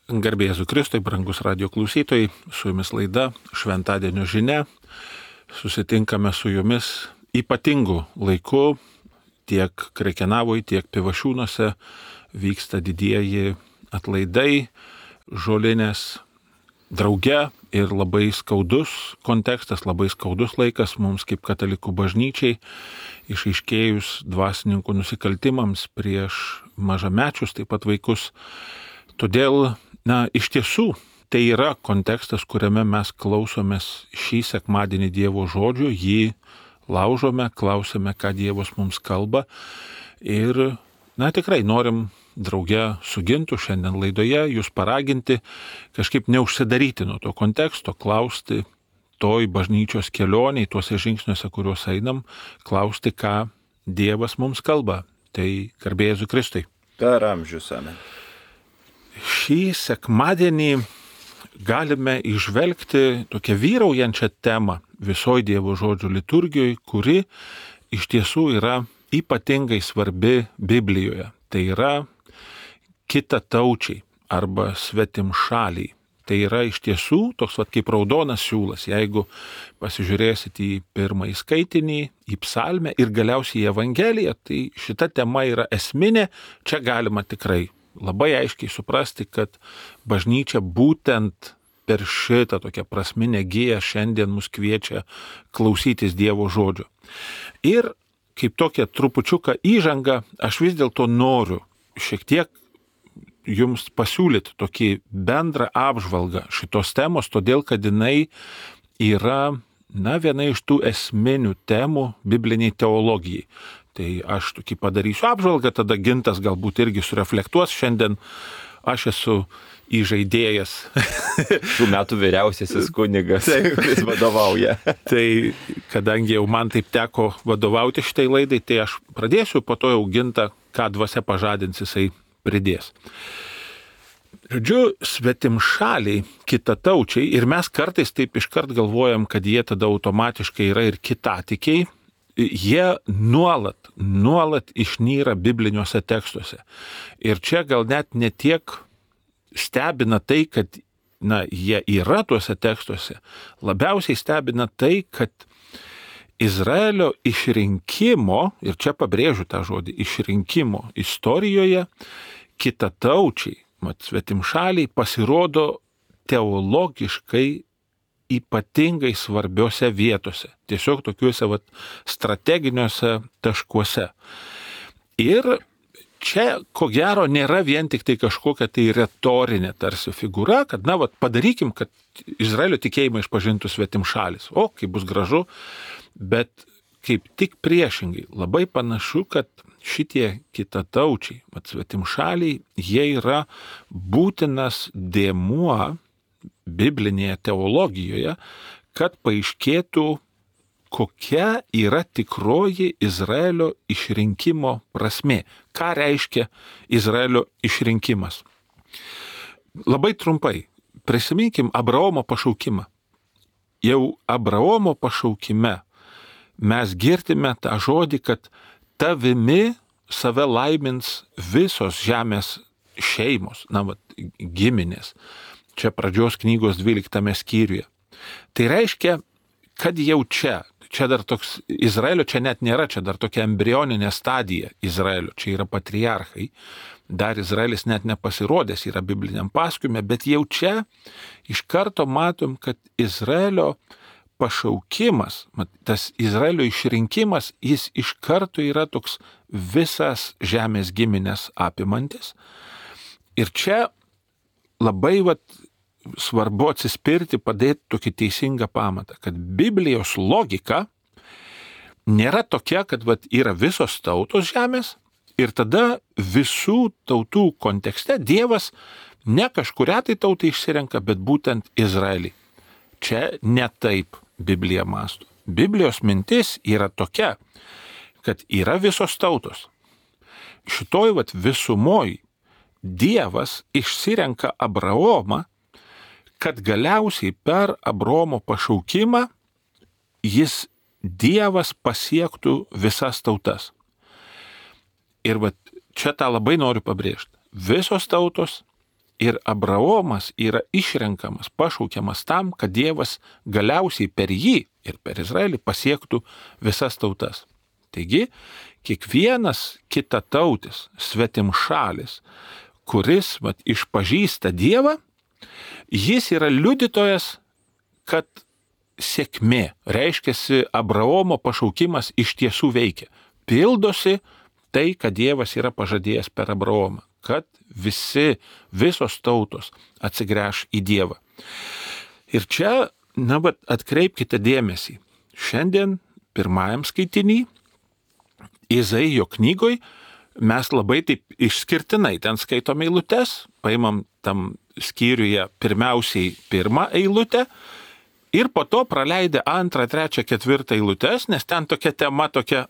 Garbė Jėzui Kristui, brangus radio klausytojai, su jumis laida Šventadienio žinia. Susitinkame su jumis ypatingu laiku, tiek Krekenavoje, tiek Pivašiūnuose vyksta didieji atlaidai, žolinės drauge ir labai skaudus kontekstas, labai skaudus laikas mums kaip katalikų bažnyčiai, išaiškėjus dvasininkų nusikaltimams prieš mažamečius, taip pat vaikus. Todėl, iš tiesų, tai yra kontekstas, kuriame mes klausomės šį sekmadienį Dievo žodžio, jį laužome, klausome, ką Dievas mums kalba ir, tikrai norim drauge su Gintu šiandien laidoje jūs paraginti kažkaip neužsidaryti nuo to konteksto, klausti toj bažnyčios kelioniai, tuose žingsniuose, kuriuos einam, klausti, ką Dievas mums kalba. Tai garbė Jėzui Kristui. Per amžius, amen. Šį sekmadienį galime įžvelgti tokią vyraujančią temą visoje Dievo žodžio liturgijoje, kuri iš tiesų yra ypatingai svarbi Biblijoje. Tai yra kitataučiai arba svetimšaliai. Tai yra iš tiesų toks kaip raudonas siūlas. Jeigu pasižiūrėsit į pirmąjį skaitinį, į psalmę ir galiausiai į Evangeliją, tai šita tema yra esminė. Čia galima tikrai labai aiškiai suprasti, kad bažnyčia būtent per šitą tokią prasminę giją šiandien mus kviečia klausytis Dievo žodžio. Ir kaip tokia trupučiuką įžanga, aš vis dėlto noriu šiek tiek jums pasiūlyti tokį bendrą apžvalgą šitos temos, todėl kad jinai yra viena iš tų esminių temų bibliniai teologijai. Tai aš tokį padarysiu apžvalgą, tada Gintas galbūt irgi sureflektuos. Šiandien aš esu įžaidėjas. Šių metų vyriausiasis kunigas, kuris vadovauja. Tai kadangi jau man taip teko vadovauti šitai laidai, tai aš pradėsiu, po to jau Gintą, ką dvasia pažadins, jisai pridės. Žodžiu, svetimšaliai, kitataučiai, ir mes kartais taip iškart galvojam, kad jie tada automatiškai yra ir kitatikiai, jie nuolat išnyra bibliniuose tekstuose. Ir čia gal net ne tiek stebina tai, kad jie yra tuose tekstuose, labiausiai stebina tai, kad Izraelio išrinkimo, ir čia pabrėžiu tą žodį, išrinkimo istorijoje kitataučiai, svetimšaliai pasirodo teologiškai ypatingai svarbiose vietose, tiesiog tokiuose strateginiuose taškuose. Ir čia, ko gero, nėra vien tik tai kažkokia tai retorinė tarsi figūra, kad, padarykim, kad Izraelio tikėjimą išpažintų svetimšalis. O, kaip bus gražu, bet kaip tik priešingai, labai panašu, kad šitie kitataučiai, svetimšaliai, jie yra būtinas dėmuo biblinėje teologijoje, kad paaiškėtų, kokia yra tikroji Izraelio išrinkimo prasmė. Ką reiškia Izraelio išrinkimas? Labai trumpai, prisiminkim Abraomo pašaukimą. Jau Abraomo pašaukime mes girdime tą žodį, kad tavimi save laimins visos žemės šeimos, giminės. Čia pradžios knygos 12 skyriuje. Tai reiškia, kad jau čia dar toks Izraelio, čia net nėra, čia dar tokia embrioninė stadija Izraelio, čia yra patriarchai, dar Izraelis net nepasirodęs yra bibliniam pasakojime, bet jau čia iš karto matom, kad Izraelio pašaukimas, tas Izraelio išrinkimas, jis iš karto yra toks visas žemės giminės apimantis. Ir čia labai svarbu atsispirti, padėti tokį teisingą pamatą, kad Biblijos logika nėra tokia, kad yra visos tautos žemės ir tada visų tautų kontekste Dievas ne kažkurią tai tautą išsirenka, bet būtent Izraelį. Čia ne taip Biblija mąsto. Biblijos mintis yra tokia, kad yra visos tautos. Šitoj visumoj Dievas išsirenka Abraomą, kad galiausiai per Abraomo pašaukimą Dievas pasiektų visas tautas. Ir čia tą labai noriu pabrėžti. Visos tautos ir Abraomas yra išrenkamas, pašaukiamas tam, kad Dievas galiausiai per jį ir per Izraelį pasiektų visas tautas. Taigi, kiekvienas kitatautis, svetimšalis, kuris išpažįsta Dievą, jis yra liudytojas, kad sėkmė, reiškiasi Abraomo pašaukimas iš tiesų veikia. Pildosi tai, kad Dievas yra pažadėjęs per Abraomą, kad visos tautos atsigręš į Dievą. Ir čia, atkreipkite dėmesį. Šiandien pirmajam skaitinį Izaijo knygoj mes labai taip išskirtinai ten skaitom eilutes, paimam tam skyriuje pirmiausiai pirmą eilutę ir po to praleidę 2, 3, 4 eilutes, nes ten tokia tema tokia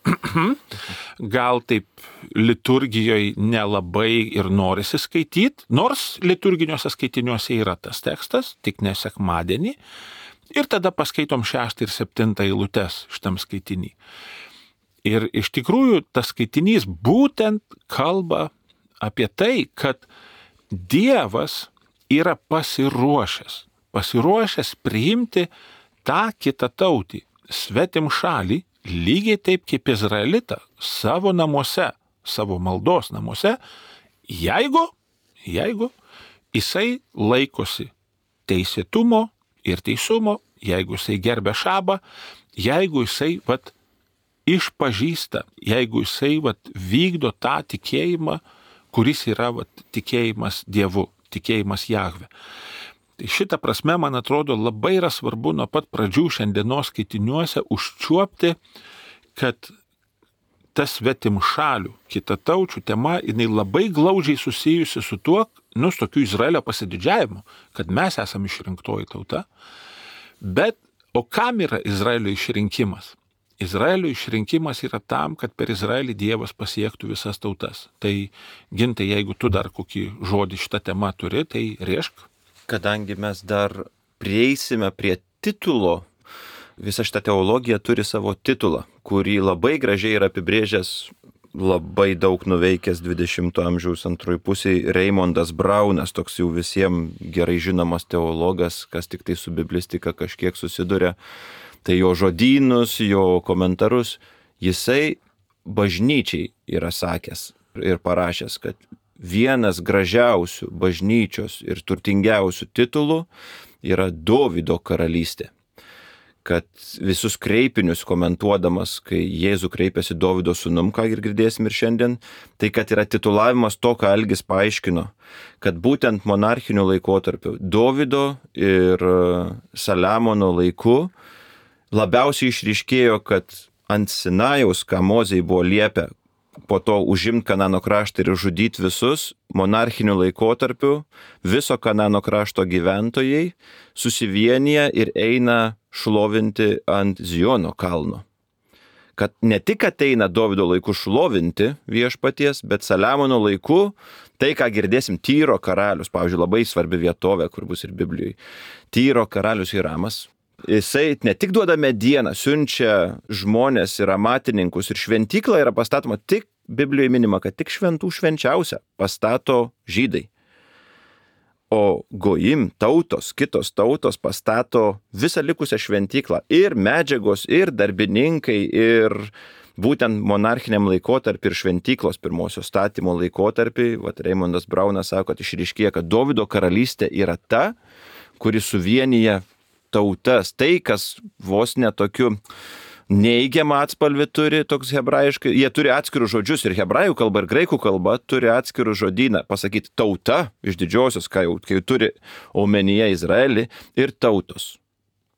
gal taip liturgijoje nelabai ir norisi skaityti, nors liturginiuose skaitiniuose yra tas tekstas, tik ne sekmadienį, ir tada paskaitom 6 ir 7 eilutes šitam skaitinį. Ir iš tikrųjų tas skaitinys būtent kalba apie tai, kad Dievas yra pasiruošęs priimti tą kitatautį, svetimšalį, lygiai taip kaip Izraelitą, savo namuose, savo maldos namuose, jeigu jisai laikosi teisėtumo ir teisumo, jeigu jisai gerbia šabą, jeigu jisai išpažįsta, jeigu jisai vykdo tą tikėjimą, kuris yra tikėjimas Dievu, tikėjimas Jahve. Tai šitą prasme, man atrodo, labai yra svarbu nuo pat pradžių šiandienos skaitiniuose užčiuopti, kad tas svetimšalių, kitataučių tema, jinai labai glaudžiai susijusi su tuo, su tokiu Izraelio pasididžiavimu, kad mes esame išrinktoji tauta. Bet, o kam yra Izraelio išrinkimas? Izraelio išrinkimas yra tam, kad per Izraelį Dievas pasiektų visas tautas. Tai, Gintai, jeigu tu dar kokį žodį šitą temą turi, tai rėžk. Kadangi mes dar prieisime prie titulo, visa šita teologija turi savo titulą, kurį labai gražiai yra apibrėžęs labai daug nuveikęs 20 amžiaus antroji pusėje Raimondas Braunas, toks jau visiems gerai žinomas teologas, kas tik tai su biblistika kažkiek susiduria. Tai jo žodynus, jo komentarus, jisai bažnyčiai yra sakęs ir parašęs, kad vienas gražiausių bažnyčios ir turtingiausių titulų yra Dovydo karalystė. Kad visus kreipinius komentuodamas, kai Jėzų kreipėsi Dovydo sūnum, ką ir girdėsim ir šiandien, tai kad yra titulavimas to, ką Algis paaiškino, kad būtent monarchiniu laikotarpiu Dovydo ir Saliamono laiku labiausiai išryškėjo, kad ant Sinajaus, ką Mozei buvo liepę, po to užimti Kanano kraštą ir žudyti visus, monarchiniu laikotarpiu viso Kanano krašto gyventojai susivienyje ir eina šlovinti ant Ziono kalno. Kad ne tik ateina Dovydo laiku šlovinti viešpaties, bet Saliamono laiku, tai ką girdėsim, Tyro karalius, pavyzdžiui, labai svarbi vietovė, kur bus ir Biblijoje, Tyro karalius Hiramas, jisai ne tik duoda medieną, siunčia žmonės ir amatininkus ir šventykla yra pastatoma, tik Biblijoje minima, kad tik šventų švenčiausia pastato žydai. O gojim tautos, kitos tautos pastato visą likusią šventyklą ir medžiagos, ir darbininkai, ir būtent monarchiniam laikotarpį ir šventyklos pirmosios statymo laikotarpį. Raimondas Braunas sako, kad išryškėja, kad Dovydo karalystė yra ta, kuri suvienyje tautas. Tai, kas vos netokiu neigiamą atspalvį turi, toks hebrajiškai, jie turi atskirus žodžius ir hebrajų kalba, ir graikų kalba turi atskirų žodyną. Pasakyti tauta iš didžiosios, kai jau turi omenyje Izraelį, ir tautos,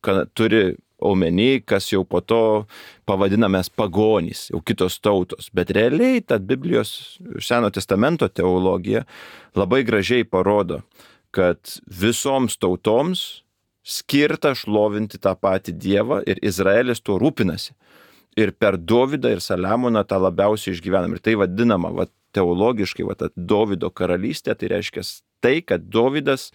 kad turi omeny, kas jau po to pavadinamės pagonys, jau kitos tautos. Bet realiai ta Biblijos Seno testamento teologija labai gražiai parodo, kad visoms tautoms skirta šlovinti tą patį Dievą ir Izraelis tuo rūpinasi. Ir per Dovydą ir Saliamoną tą labiausiai išgyvenam. Ir tai vadinama teologiškai ta Dovydo karalystė, tai reiškia tai, kad Dovydas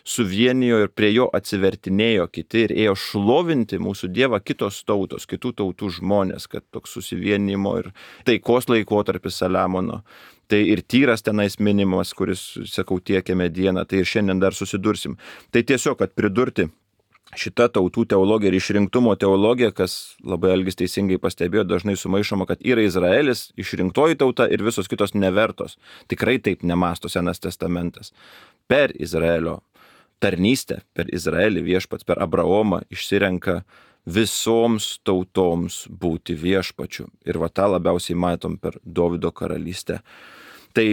suvienijo ir prie jo atsivertinėjo kiti ir ėjo šlovinti mūsų Dievą kitos tautos, kitų tautų žmonės, kad toks susivienimo ir taikos laikotarpis Saliamono. Tai ir Tyras tenais minimas, kuris, sakau, tiekė medieną, tai ir šiandien dar susidursim. Tai tiesiog, kad pridurti šita tautų teologija ir išrinktumo teologija, kas labai Algis teisingai pastebėjo, dažnai sumaišoma, kad yra Izraelis, išrinktoji tauta ir visos kitos nevertos. Tikrai taip nemąsto Senas testamentas. Per Izraelio tarnystę, per Izraelį viešpats, per Abraomą išsirenka visoms tautoms būti viešpačiu. Ir va tą labiausiai matom per Dovydo karalystę. Tai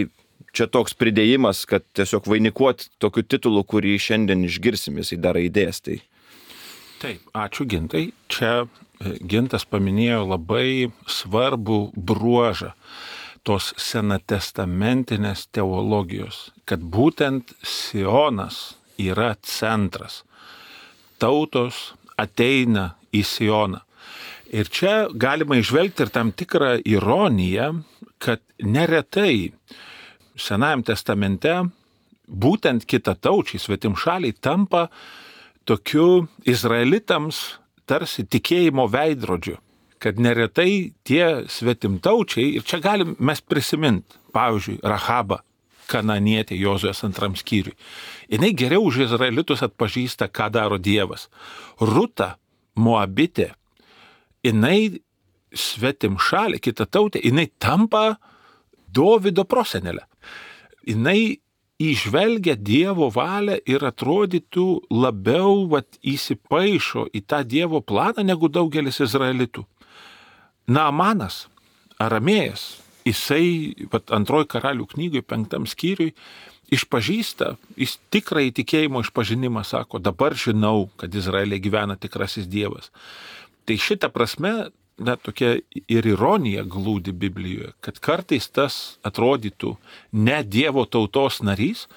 čia toks pridėjimas, kad tiesiog vainikuoti tokiu titulu, kurį šiandien išgirsim, jisai dar raidės. Tai Taip, ačiū Gintai. Čia Gintas paminėjo labai svarbų bruožą tos senatestamentinės teologijos, kad būtent Sionas yra centras. Tautos ateina į Sioną. Ir čia galima įžvelgti ir tam tikrą ironiją, kad neretai Senajam testamente būtent kitataučiai, svetimšaliai tampa tokiu izraelitams tarsi tikėjimo veidrodžiu, kad neretai tie svetimtaučiai, ir čia galim mes prisiminti, pavyzdžiui, Rahabą, kananietė Jozuės 2 skyriui. Jinai geriau už izraelitus atpažįsta, ką daro Dievas. Ruta, Moabitė, jinai svetimšalė, kitatautė, jinai tampa Dovydo prosenelė. Jinai įžvelgia Dievo valią ir atrodytų labiau įsipaišo į tą Dievo planą negu daugelis izraelitų. Naamanas, aramėjas, jisai 2 karalių knygai 5 skyriui išpažįsta, jis tikrai tikėjimo išpažinimą sako, dabar žinau, kad Izraelė gyvena tikrasis Dievas. Tai šitą prasme, tokia ir ironija glūdi Biblijoje, kad kartais tas atrodytų ne Dievo tautos narys,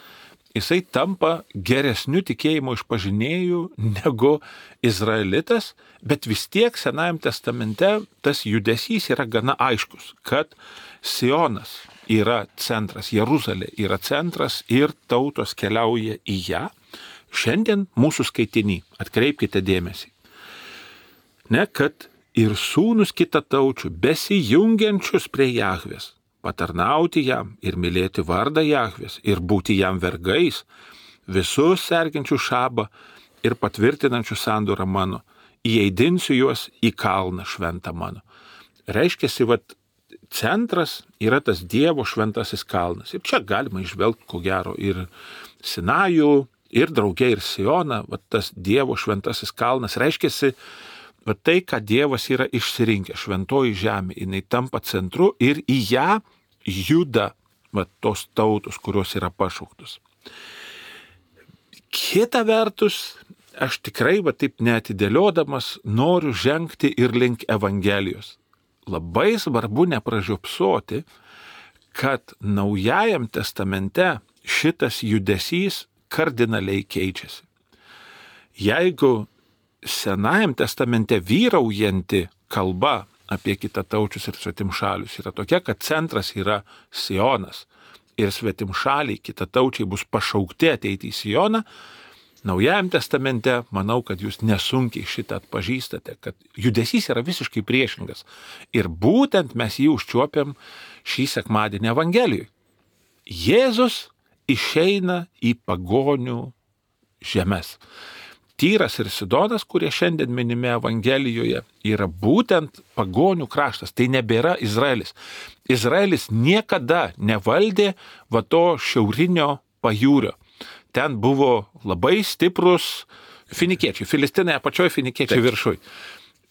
jisai tampa geresniu tikėjimo išpažinėju negu izraelitas, bet vis tiek Senajam testamente tas judesys yra gana aiškus, kad Sionas yra centras, Jeruzalė yra centras ir tautos keliauja į ją. Šiandien mūsų skaitinį, atkreipkite dėmesį, kad ir sūnus kitataučių, besijungiančius prie Jahvės, patarnauti jam ir mylėti vardą Jahvės ir būti jam vergais, visus sergiančių šabą ir patvirtinančių sandorą mano, įeidinsiu juos į kalną šventą mano. Reiškiasi, centras yra tas Dievo šventasis kalnas. Ir čia galima išvelgti, ko gero, ir Sinajų, ir drauge, ir Sioną, tas Dievo šventasis kalnas. Reiškiasi, tai, ką Dievas yra išsirinkęs, šventoji žemė, jinai tampa centru ir į ją juda tos tautos, kurios yra pašauktos. Kita vertus, aš tikrai taip neatidėliodamas noriu žengti ir link Evangelijos. Labai svarbu nepražiopsoti, kad Naujajam testamente šitas judesys kardinaliai keičiasi. Jeigu Senajam testamente vyraujanti kalba apie kitataučius ir svetimšalius yra tokia, kad centras yra Sionas ir svetimšaliai kitataučiai bus pašaukti ateiti į Sioną, Naujajam testamente manau, kad jūs nesunkiai šitą atpažįstate, kad judesys yra visiškai priešingas. Ir būtent mes jį užčiuopiam šį sekmadienį Evangelijoje. Jėzus išeina į pagonių žemes. Tyras ir Sidonas, kurie šiandien minimi Evangelijoje, yra būtent pagonių kraštas. Tai nebėra Izraelis. Izraelis niekada nevaldė to šiaurinio pajūrio. Ten buvo labai stiprus finikiečiai, filistinai apačioje, finikiečiai viršui.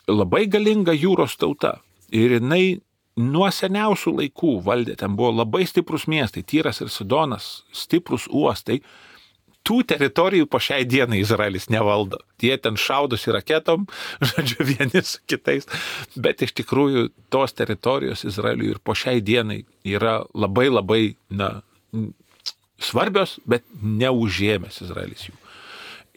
Labai galinga jūros tauta. Ir jinai nuo seniausių laikų valdė. Ten buvo labai stiprus miestai, Tyras ir Sidonas, stiprus uostai. Tų teritorijų po šiai dienai Izraelis nevaldo. Tie ten šaudosi raketom, vieni su kitais. Bet iš tikrųjų tos teritorijos Izraeliui ir po šiai dienai yra labai labai svarbios, bet neužėmęs Izraelis jų.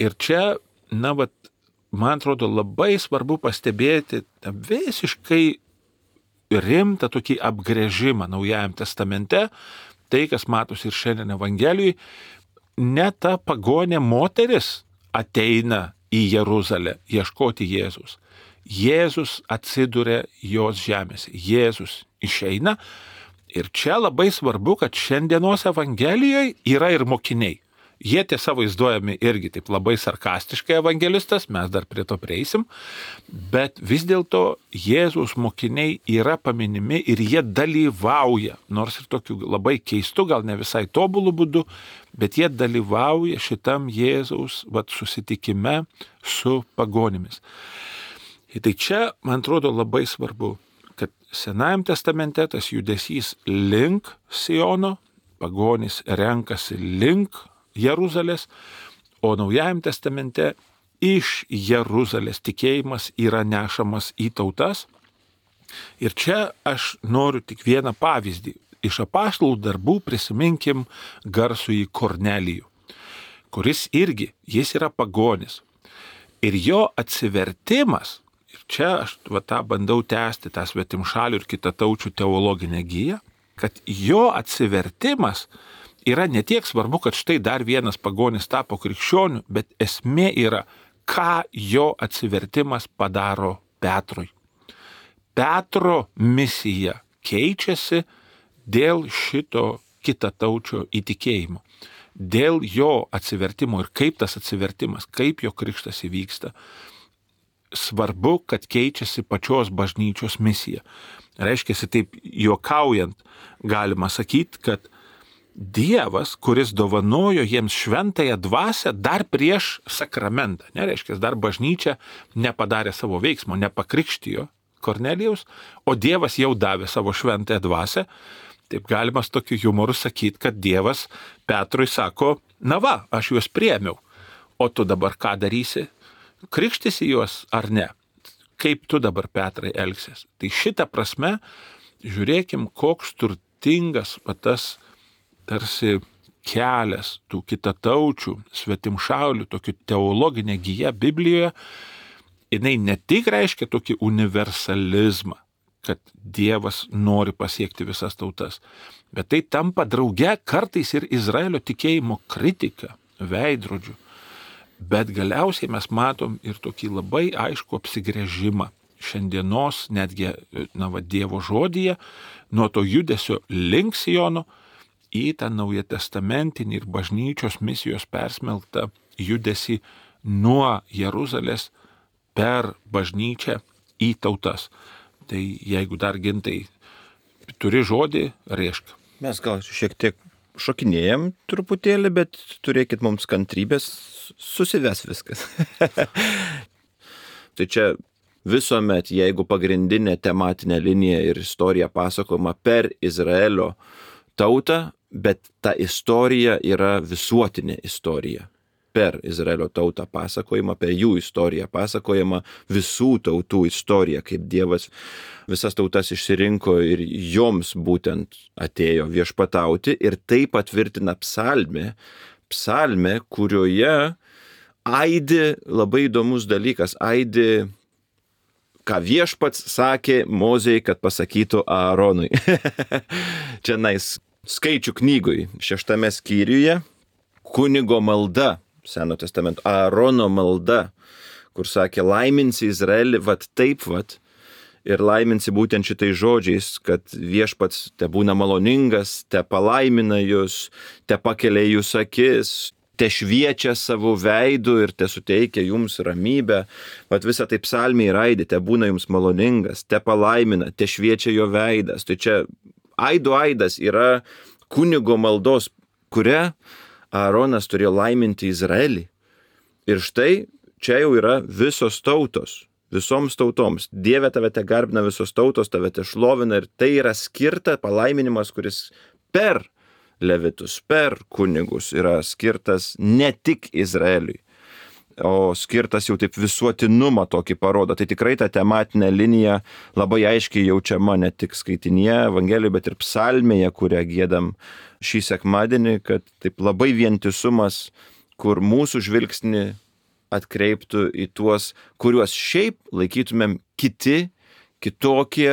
Ir čia, man atrodo, labai svarbu pastebėti visiškai rimtą tokį apgręžimą Naujajam testamente, tai, kas matosi ir šiandien Evangelijoje, ne ta pagonė moteris ateina į Jeruzalę ieškoti Jėzus. Jėzus atsiduria jos žemėse. Jėzus išeina. Ir čia labai svarbu, kad šiandienos Evangelijoje yra ir mokiniai. Jie tiesa vaizduojami irgi taip labai sarkastiškai evangelistas, mes dar prie to prieisim, bet vis dėlto Jėzaus mokiniai yra paminimi ir jie dalyvauja, nors ir tokiu labai keistu, gal ne visai tobulų būdu, bet jie dalyvauja šitam Jėzaus susitikime su pagonimis. Tai čia, man atrodo, labai svarbu, kad Senajam testamente tas judesys link Siono, pagonys renkasi link Jeruzalės, o Naujajam testamente iš Jeruzalės tikėjimas yra nešamas į tautas. Ir čia aš noriu tik vieną pavyzdį. Iš apaštalų darbų prisiminkim garsųjį Kornelijų, kuris irgi, jis yra pagonis. Ir jo atsivertimas, ir čia aš tą bandau tęsti, tą svetimšalių ir kitataučių teologinę giją, kad jo atsivertimas yra ne tiek svarbu, kad štai dar vienas pagonis tapo krikščioniu, bet esmė yra, ką jo atsivertimas padaro Petrui. Petro misija keičiasi dėl šito kitataučio įtikėjimo, dėl jo atsivertimo ir kaip tas atsivertimas, kaip jo krikštas įvyksta. Svarbu, kad keičiasi pačios bažnyčios misija. Reiškia, taip juokaujant, galima sakyti, kad Dievas, kuris dovanojo jiems šventąją dvasią dar prieš sakramentą, nereiškia, dar bažnyčia nepadarė savo veiksmo, nepakrikštijo Kornelijaus, o Dievas jau davė savo šventąją dvasią, taip galima su tokiu humoru sakyti, kad Dievas Petrui sako, na va, aš juos priėmiau, o tu dabar ką darysi? Krikštysi juos ar ne? Kaip tu dabar, Petrai, elgsies? Tai šitą prasme, žiūrėkim, koks turtingas tas tarsi kelias tų kitataučių, svetimšaulių, tokį teologinę giją Biblijoje, jinai ne tik reiškia tokį universalizmą, kad Dievas nori pasiekti visas tautas, bet tai tampa drauge kartais ir Izraelio tikėjimo kritika, veidrodžiu. Bet galiausiai mes matom ir tokį labai aišku apsigręžimą šiandienos netgi Dievo žodyje, nuo to judesio link Siono, į tą naujątestamentinį ir bažnyčios misijos persmelktą judesį nuo Jeruzalės per bažnyčią į tautas. Tai jeigu dar Gintai turi žodį, rėžk. Mes gal šiek tiek šokinėjam truputėlį, bet turėkit mums kantrybės, susives viskas. Tai čia visuomet, jeigu pagrindinė tematinė linija ir istorija pasakojama per Izraelio tautą, bet ta istorija yra visuotinė istorija. Per Izraelio tautą pasakojama, per jų istoriją pasakojama visų tautų istorija, kaip Dievas visas tautas išsirinko ir joms būtent atėjo viešpatauti, ir tai patvirtina psalmė, kurioje aidi labai įdomus dalykas, aidi, ką viešpats sakė Mozei, kad pasakytų Aaronui. Čia skaičių knygoj, 6 skyriuje, kunigo malda, Seno testamento, Aarono malda, kur sakė, laiminsi Izraelį, taip, ir laiminsi būtent šitais žodžiais, kad viešpats te būna maloningas, te palaimina jūs, te pakelia jūs akis, te šviečia savo veidu ir te suteikia jums ramybę. Visą tai psalmė ir aidi, te būna jums maloningas, te palaimina, te šviečia jo veidas. Tai čia aidas yra kunigo maldos, kuria Aaronas turėjo laiminti Izraelį. Ir štai čia jau yra visos tautos, visoms tautoms. Dieve, tave te garbina visos tautos, tave te šlovina, ir tai yra skirta palaiminimas, kuris per levitus, per kunigus yra skirtas ne tik Izraeliui, o skirtas jau taip visuotinumą tokį parodo. Tai tikrai ta tematinė linija labai aiškiai jaučiama ne tik skaitinyje Evangelijoje, bet ir psalmėje, kurią giedam šį sekmadienį, kad taip labai vientisumas, kur mūsų žvilgsnį atkreiptų į tuos, kuriuos šiaip laikytumėm kitokie,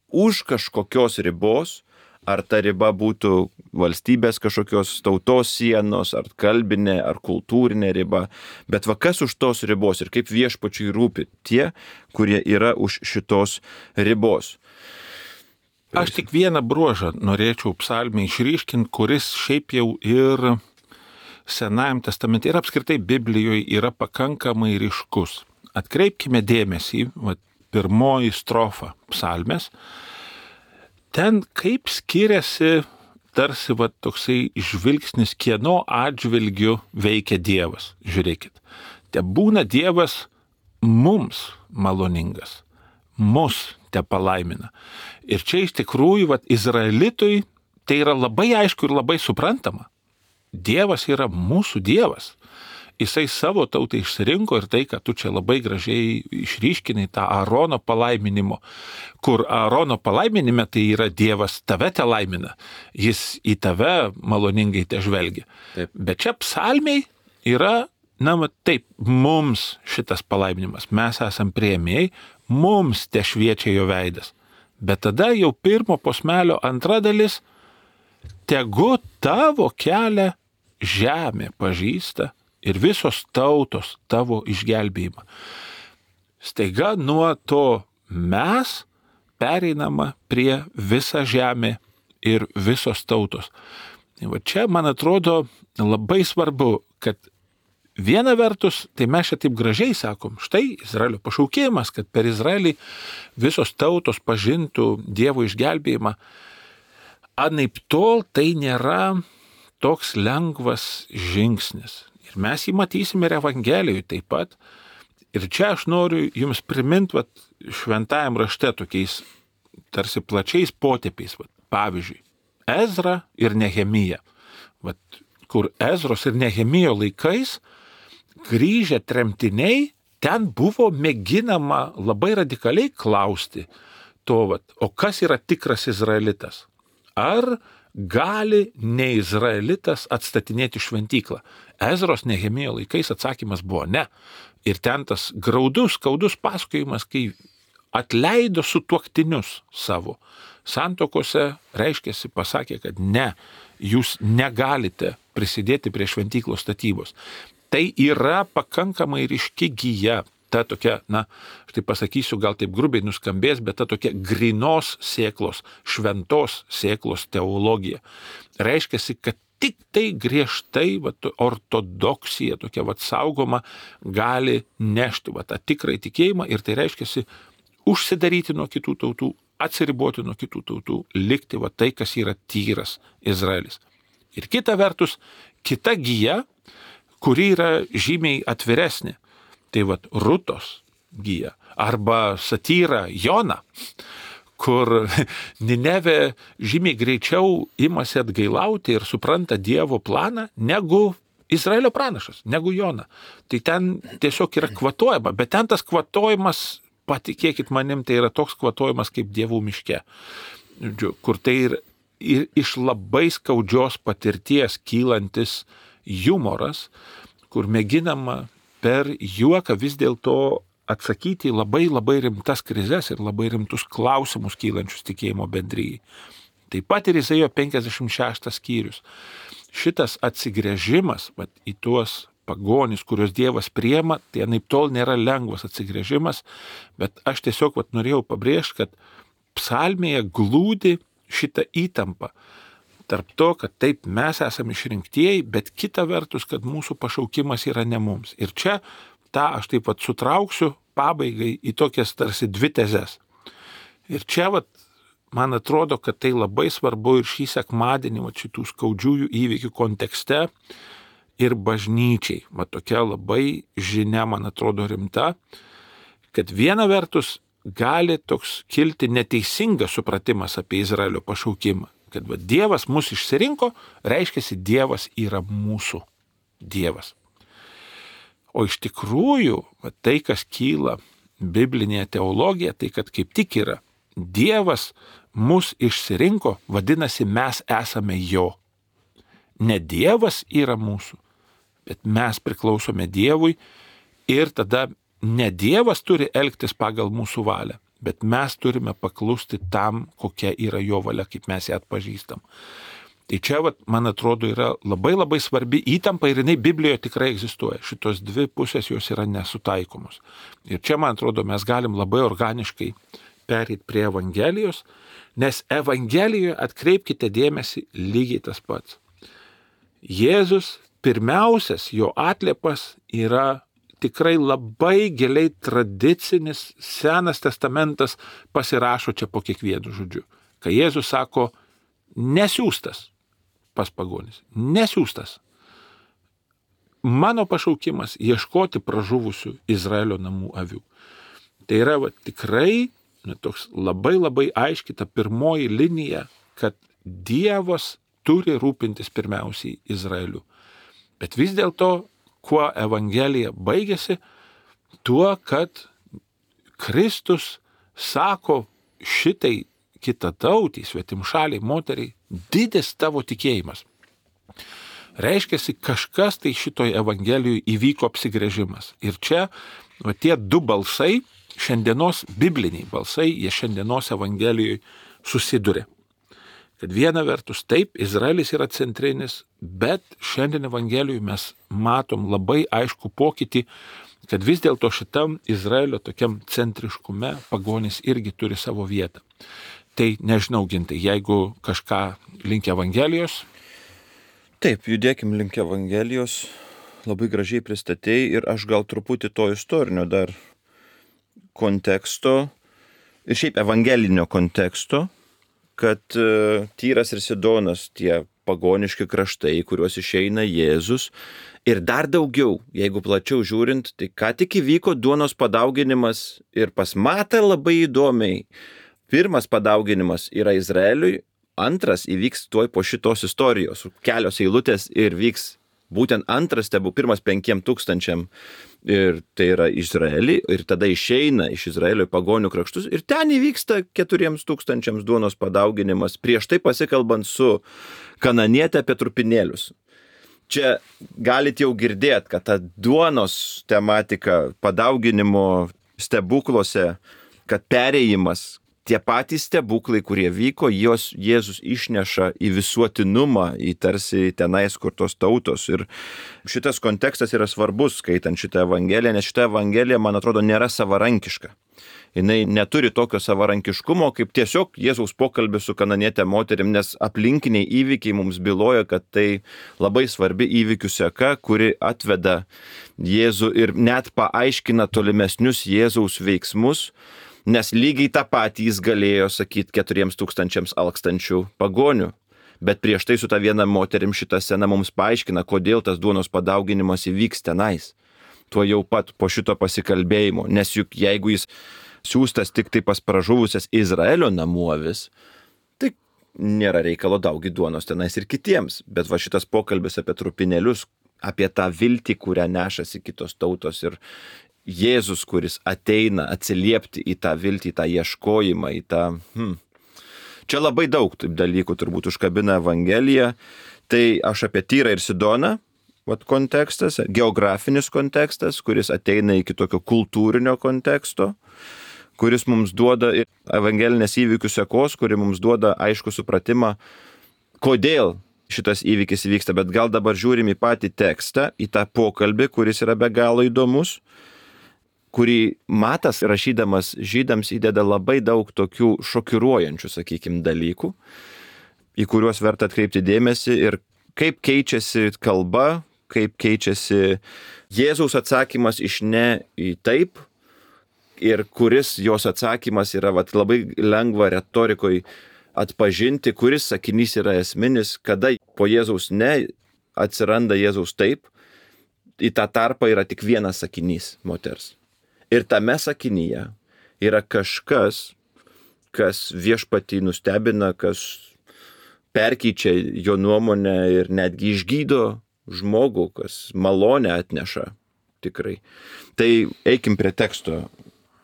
už kažkokios ribos, ar ta riba būtų valstybės kažkokios tautos sienos, ar kalbinė, ar kultūrinė riba. Bet va kas už tos ribos ir kaip viešpačiui rūpi tie, kurie yra už šitos ribos. Aš tik vieną bruožą norėčiau psalmę išryškinti, kuris šiaip jau ir Senajam testamente ir apskritai Biblijoje yra pakankamai ryškus. Atkreipkime dėmesį, pirmoji strofa psalmės, ten kaip skiriasi tarsi toksai žvilgsnis, kieno atžvilgiu veikia Dievas. Žiūrėkit, te būna Dievas mums maloningas, mus te palaimina. Ir čia iš tikrųjų, Izraelitui tai yra labai aišku ir labai suprantama. Dievas yra mūsų Dievas. Jisai savo tautai išsirinko ir tai, kad tu čia labai gražiai išryškinai tą Aarono palaiminimo, kur Aarono palaiminime tai yra Dievas tave te laimina, jis į tave maloningai te žvelgia. Taip. Bet čia psalmiai yra, taip, mums šitas palaiminimas, mes esam priėmėjai, mums te šviečia jo veidas. Bet tada jau pirmo posmelio antra dalis, tegu tavo kelią žemė pažįsta ir visos tautos tavo išgelbėjimą. Staiga nuo to mes pereinama prie visa žemė ir visos tautos. Čia, man atrodo, labai svarbu, kad viena vertus, tai mes čia taip gražiai sakom, štai Izraelio pašaukimas, kad per Izraelį visos tautos pažintų Dievo išgelbėjimą. Anaiptol tai nėra toks lengvas žingsnis. Ir mes jį matysime ir Evangelijoje taip pat. Ir čia aš noriu jums priminti šventajam rašte tokiais tarsi plačiais potėpiais. Pavyzdžiui, Ezra ir Nehemija. Kur Ezros ir Nehemijo laikais grįžę tremtiniai, ten buvo mėginama labai radikaliai klausti to, o kas yra tikras izraelitas? Ar gali neizraelitas atstatinėti šventyklą? Ezros Nehemijo laikais atsakymas buvo ne. Ir ten tas graudus, skaudus pasakojimas, kai atleido sutuoktinius savo santokose, reiškiasi, pasakė, kad ne, jūs negalite prisidėti prie šventyklos statybos. Tai yra pakankamai ryški gija. Ta tokia, aš tai pasakysiu, gal taip grubiai nuskambės, bet ta tokia grynos sėklos, šventos sėklos teologija. Reiškiasi, kad tik tai griežtai ortodoksija tokia saugoma gali nešti tą tikrą tikėjimą ir tai reiškiasi užsidaryti nuo kitų tautų, atsiriboti nuo kitų tautų, likti tai, kas yra tyras Izraelis. Ir kita vertus, kita gija, kuri yra žymiai atviresnė. Tai Rutos gija arba satyra Jona, kur Nineve žymiai greičiau imasi atgailauti ir supranta Dievo planą negu Izraelio pranašas, negu Jona. Tai ten tiesiog yra kvatojama, bet ten tas kvatojimas, patikėkit manim, tai yra toks kvatojimas kaip dievų miške, kur tai ir iš labai skaudžios patirties kylantis humoras, kur mėginama per juoką vis dėlto atsakyti į labai labai rimtas krizes ir labai rimtus klausimus kylančius tikėjimo bendryjai. Taip pat ir Izaijo 56 skyrius. Šitas atsigręžimas į tuos pagonis, kuriuos Dievas priema, tai anaiptol nėra lengvas atsigręžimas, bet aš tiesiog norėjau pabrėžti, kad psalmėje glūdi šitą įtampą tarp to, kad taip mes esame išrinktieji, bet kita vertus, kad mūsų pašaukimas yra ne mums. Ir čia tą aš taip sutrauksiu pabaigai į tokias tarsi dvi tezes. Ir čia man atrodo, kad tai labai svarbu ir šį sekmadienį šitų skaudžiųjų įvykių kontekste ir bažnyčiai. Tokia labai žinia, man atrodo, rimta, kad viena vertus gali toks kilti neteisingas supratimas apie Izraelio pašaukimą. Kad Dievas mus išsirinko, reiškiasi Dievas yra mūsų Dievas. O iš tikrųjų, tai, kas kyla biblinėje teologijoje, tai kad kaip tik yra Dievas mus išsirinko, vadinasi, mes esame jo. Ne Dievas yra mūsų, bet mes priklausome Dievui ir tada ne Dievas turi elgtis pagal mūsų valią, bet mes turime paklusti tam, kokia yra jo valia, kaip mes ją atpažįstam. Tai čia, man atrodo, yra labai labai svarbi įtampa ir jinai Biblijoje tikrai egzistuoja. Šitos dvi pusės jos yra nesutaikomos. Ir čia, man atrodo, mes galim labai organiškai perėti prie Evangelijos, nes Evangelijoje, atkreipkite dėmesį, lygiai tas pats. Jėzus pirmiausias, jo atliepas yra tikrai labai giliai tradicinis, Senas testamentas pasirašo čia po kiekvienu žodžiu. Kai Jėzus sako, nesiųstas pas pagonis, nesiųstas. Mano pašaukimas ieškoti pražuvusių Izraelio namų avių. Tai yra tikrai toks labai labai aiški ta pirmoji linija, kad Dievas turi rūpintis pirmiausiai Izraeliu. Bet vis dėlto, kuo Evangelija baigėsi, tuo, kad Kristus sako šitai kitatautį, svetimšaliai moteriai, didis tavo tikėjimas. Reiškiasi, kažkas tai šitoj Evangelijoje įvyko apsigrėžimas. Ir čia tie du balsai, šiandienos bibliniai balsai, jie šiandienos Evangelijoje susiduria. Kad viena vertus taip, Izraelis yra centrinis, bet šiandien Evangelijoje mes matom labai aišku pokytį, kad vis dėlto šitam Izraelio tokiam centriškume pagonis irgi turi savo vietą. Tai nežinau, Gintai, jeigu kažką link Evangelijos. Taip, judėkim link Evangelijos, labai gražiai pristatėjai ir aš gal truputį to istorinio dar konteksto ir šiaip evangelinio konteksto, kad Tyras ir Sidonas, tie pagoniški kraštai, kuriuos išeina Jėzus, ir dar daugiau, jeigu plačiau žiūrint, tai ką tik įvyko duonos padauginimas ir pas Matą labai įdomiai. Pirmas padauginimas yra Izraeliui, antras įvyks tuoj po šitos istorijos, kelios eilutės ir vyks būtent antras stebuklas, pirmas 5,000 ir tai yra Izraelį ir tada išeina iš Izraelio į pagonių kraštus ir ten įvyksta 4,000 duonos padauginimas, prieš tai pasikalbant su kananiete apie trupinėlius. Čia galit jau girdėti, kad ta duonos tematika padauginimo stebukluose, kad perėjimas, tie patys stebuklai, kurie vyko, jos Jėzus išneša į visuotinumą, į tarsi tenais kur tos tautos. Ir šitas kontekstas yra svarbus, skaitant šitą Evangeliją, nes šitą Evangeliją, man atrodo, nėra savarankiška. Jinai neturi tokio savarankiškumo, kaip tiesiog Jėzaus pokalbis su kananiete moterim, nes aplinkiniai įvykiai mums byloja, kad tai labai svarbi įvykių seka, kuri atveda Jėzų ir net paaiškina tolimesnius Jėzaus veiksmus, nes lygiai tą patį jis galėjo sakyti 4,000 alkstančių pagonių. Bet prieš tai su ta viena moterim šitą sceną mums paaiškina, kodėl tas duonos padauginimas įvyks tenais. Tuo jau pat po šito pasikalbėjimo. Nes juk jeigu jis siūstas tik tai pas pražuvusias Izraelio namų avis, tai nėra reikalo daugyti duonos tenais ir kitiems. Bet va šitas pokalbis apie trupinėlius, apie tą viltį, kurią nešasi kitos tautos ir Jėzus, kuris ateina atsiliepti į tą viltį, į tą ieškojimą, į tą... Čia labai daug taip dalykų turbūt užkabina Evangelija. Tai aš apie Tyrą ir Sidoną, kontekstas, geografinis kontekstas, kuris ateina iki tokio kultūrinio konteksto, kuris mums duoda evangelinės įvykių sekos, kuri mums duoda aišku supratimą, kodėl šitas įvykis vyksta. Bet gal dabar žiūrim į patį tekstą, į tą pokalbį, kuris yra be galo įdomus, kurį Matas rašydamas žydams įdeda labai daug tokių šokiruojančių, sakykime, dalykų, į kuriuos verta atkreipti dėmesį ir kaip keičiasi kalba, kaip keičiasi Jėzaus atsakymas iš ne į taip ir kuris jos atsakymas yra labai lengva retorikoj atpažinti, kuris sakinys yra esminis, kada po Jėzaus ne atsiranda Jėzaus taip, į tą tarpą yra tik vienas sakinys moters. Ir tame sakinyje yra kažkas, kas viešpatį nustebina, kas perkeičia jo nuomonę ir netgi išgydo žmogų, kas malonę atneša tikrai. Tai eikim prie teksto.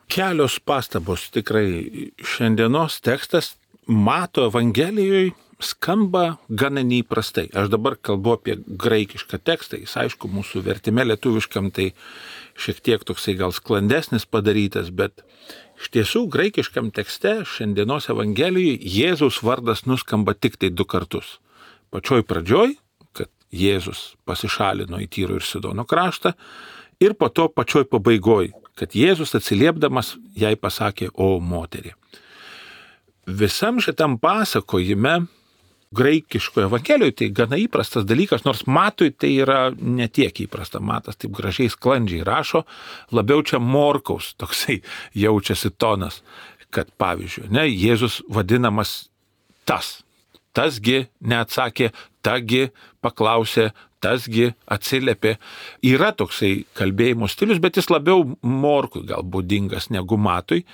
Kelios pastabos tikrai. Šiandienos tekstas Mato Evangelijoje skamba gana neįprastai. Aš dabar kalbu apie graikišką tekstą. Jis aišku mūsų vertime lietuviškam tai šiek tiek toksai gal sklandesnis padarytas, bet iš tiesų graikiškam tekste šiandienos Evangelijoje Jėzaus vardas nuskamba tik tai 2 kartus. pačioj pradžioj, kad Jėzus pasišalino į Tyro ir Sidono kraštą, ir po to pačioj pabaigoj, kad Jėzus atsiliepdamas jai pasakė, o moterį. Visam šitam pasakojime, graikiškoje evangelijoje, tai gana įprastas dalykas, nors Matui tai yra netiek įprasta. Matas taip gražiai sklandžiai rašo, labiau čia Morkaus toksai jaučiasi tonas, kad pavyzdžiui, Jėzus vadinamas tasgi neatsakė, tagi paklausė, tasgi atsiliepė. Yra toksai kalbėjimo stilius, bet jis labiau Morkui gal būdingas negu Matui.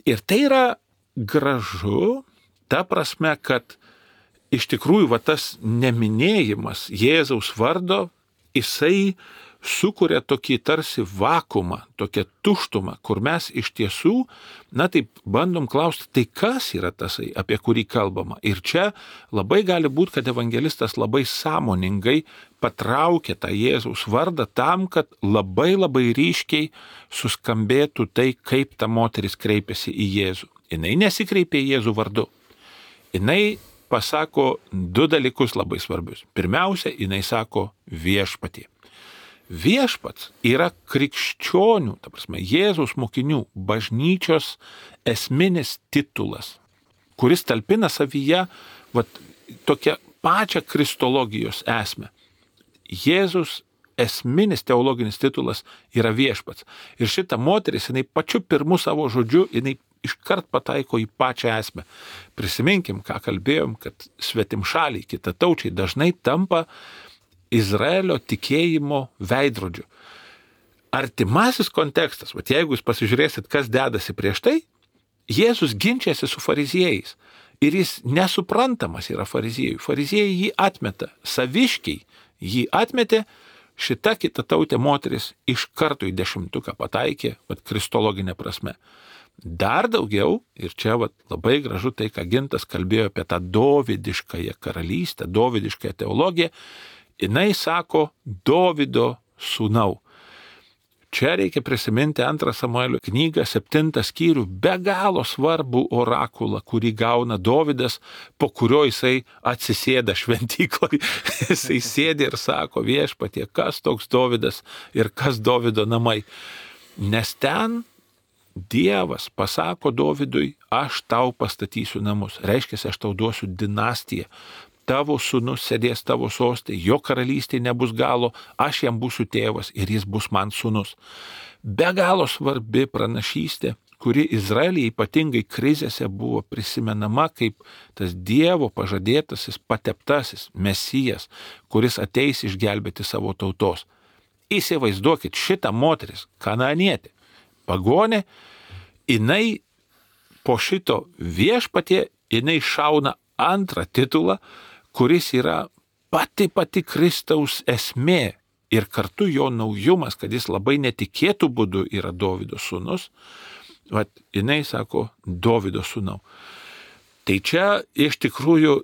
Ir tai yra gražu, ta prasme, kad iš tikrųjų tas neminėjimas Jėzaus vardo, jisai sukuria tokį tarsi vakuumą, tokią tuštumą, kur mes iš tiesų, taip bandom klausti, tai kas yra tasai, apie kurį kalbama. Ir čia labai gali būti, kad evangelistas labai sąmoningai patraukia tą Jėzaus vardą tam, kad labai labai ryškiai suskambėtų tai, kaip ta moteris kreipiasi į Jėzų. Jinai nesikreipia į Jėzų vardu. Jinai pasako du dalykus labai svarbius. Pirmiausia, jinai sako viešpatie. Viešpats yra krikščionių, ta prasme, Jėzaus mokinių, bažnyčios esminis titulas, kuris talpina savyje tokią pačią kristologijos esmę. Jėzus esminis teologinis titulas yra viešpats. Ir šita moteris, jinai pačiu pirmu savo žodžiu, jinai iškart pataiko į pačią esmę. Prisiminkim, ką kalbėjom, kad svetimšaliai, kitataučiai dažnai tampa Izraelio tikėjimo veidrodžiu. Artimasis kontekstas, jeigu jūs pasižiūrėsit, kas dedasi prieš tai, Jėzus ginčiasi su fariziejais. Ir jis nesuprantamas yra fariziejų. Fariziejai jį atmeta, saviškiai jį atmetė, šita kitatautė moteris iš karto į 10 pataikė, kristologinė prasme. Dar daugiau, ir čia labai gražu tai, ką Gintas kalbėjo apie tą dovydiškąją karalystę, dovydiškąją teologiją, jinai sako Dovydo sūnau. Čia reikia prisiminti 2 Samuelio knygą, 7 skyrių, be galo svarbų orakulą, kurį gauna Dovydas, po kurio jisai atsisėda šventykloj. Jisai sėdi ir sako, viešpatie, kas toks Dovydas ir kas Dovydo namai. Nes ten Dievas pasako Dovydui, aš tau pastatysiu namus. Reiškia, aš tau duosiu dinastiją. Tavo sūnus sėdės tavo sostė, jo karalystė nebus galo, aš jam būsiu tėvas ir jis bus man sūnus. Be galo svarbi pranašystė, kuri Izraelyje ypatingai krizėse buvo prisimenama kaip tas Dievo pažadėtasis, pateptasis Mesijas, kuris ateis išgelbėti savo tautos. Įsivaizduokit, šitą moteris, kanaanietė, pagonė, jinai po šito viešpatie, jinai šauna antrą titulą, kuris yra pati Kristaus esmė ir kartu jo naujumas, kad jis labai netikėtų būdu yra Dovydo sūnus, jinai sako Dovydo sūnau. Tai čia iš tikrųjų,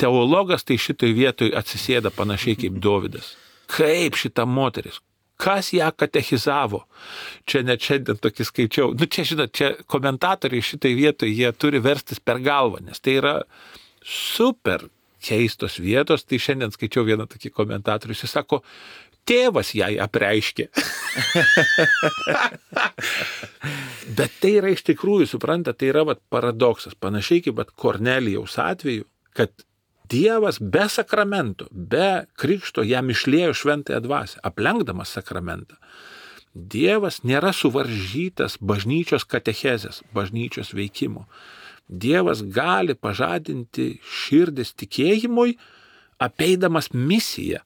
teologas tai šitoj vietoj atsisėda panašiai kaip Dovydas. Kaip šita moteris? Kas ją katechizavo? Čia net šiandien tokį skaičiau. Čia, žinot, čia komentatoriai šitai vietoj, jie turi verstis per galvą, nes tai yra super keistos vietos. Tai šiandien skaičiau vieną tokį komentatorių, jis sako, tėvas jai apreiškė. Bet tai yra iš tikrųjų, supranta, tai yra paradoksas, panašiai kaip Kornelijaus atveju, kad Dievas be sakramento, be krikšto jam išliejo šventąją dvasią, aplenkdamas sakramentą. Dievas nėra suvaržytas bažnyčios katechezės, bažnyčios veikimo. Dievas gali pažadinti širdis tikėjimui, apeidamas misiją.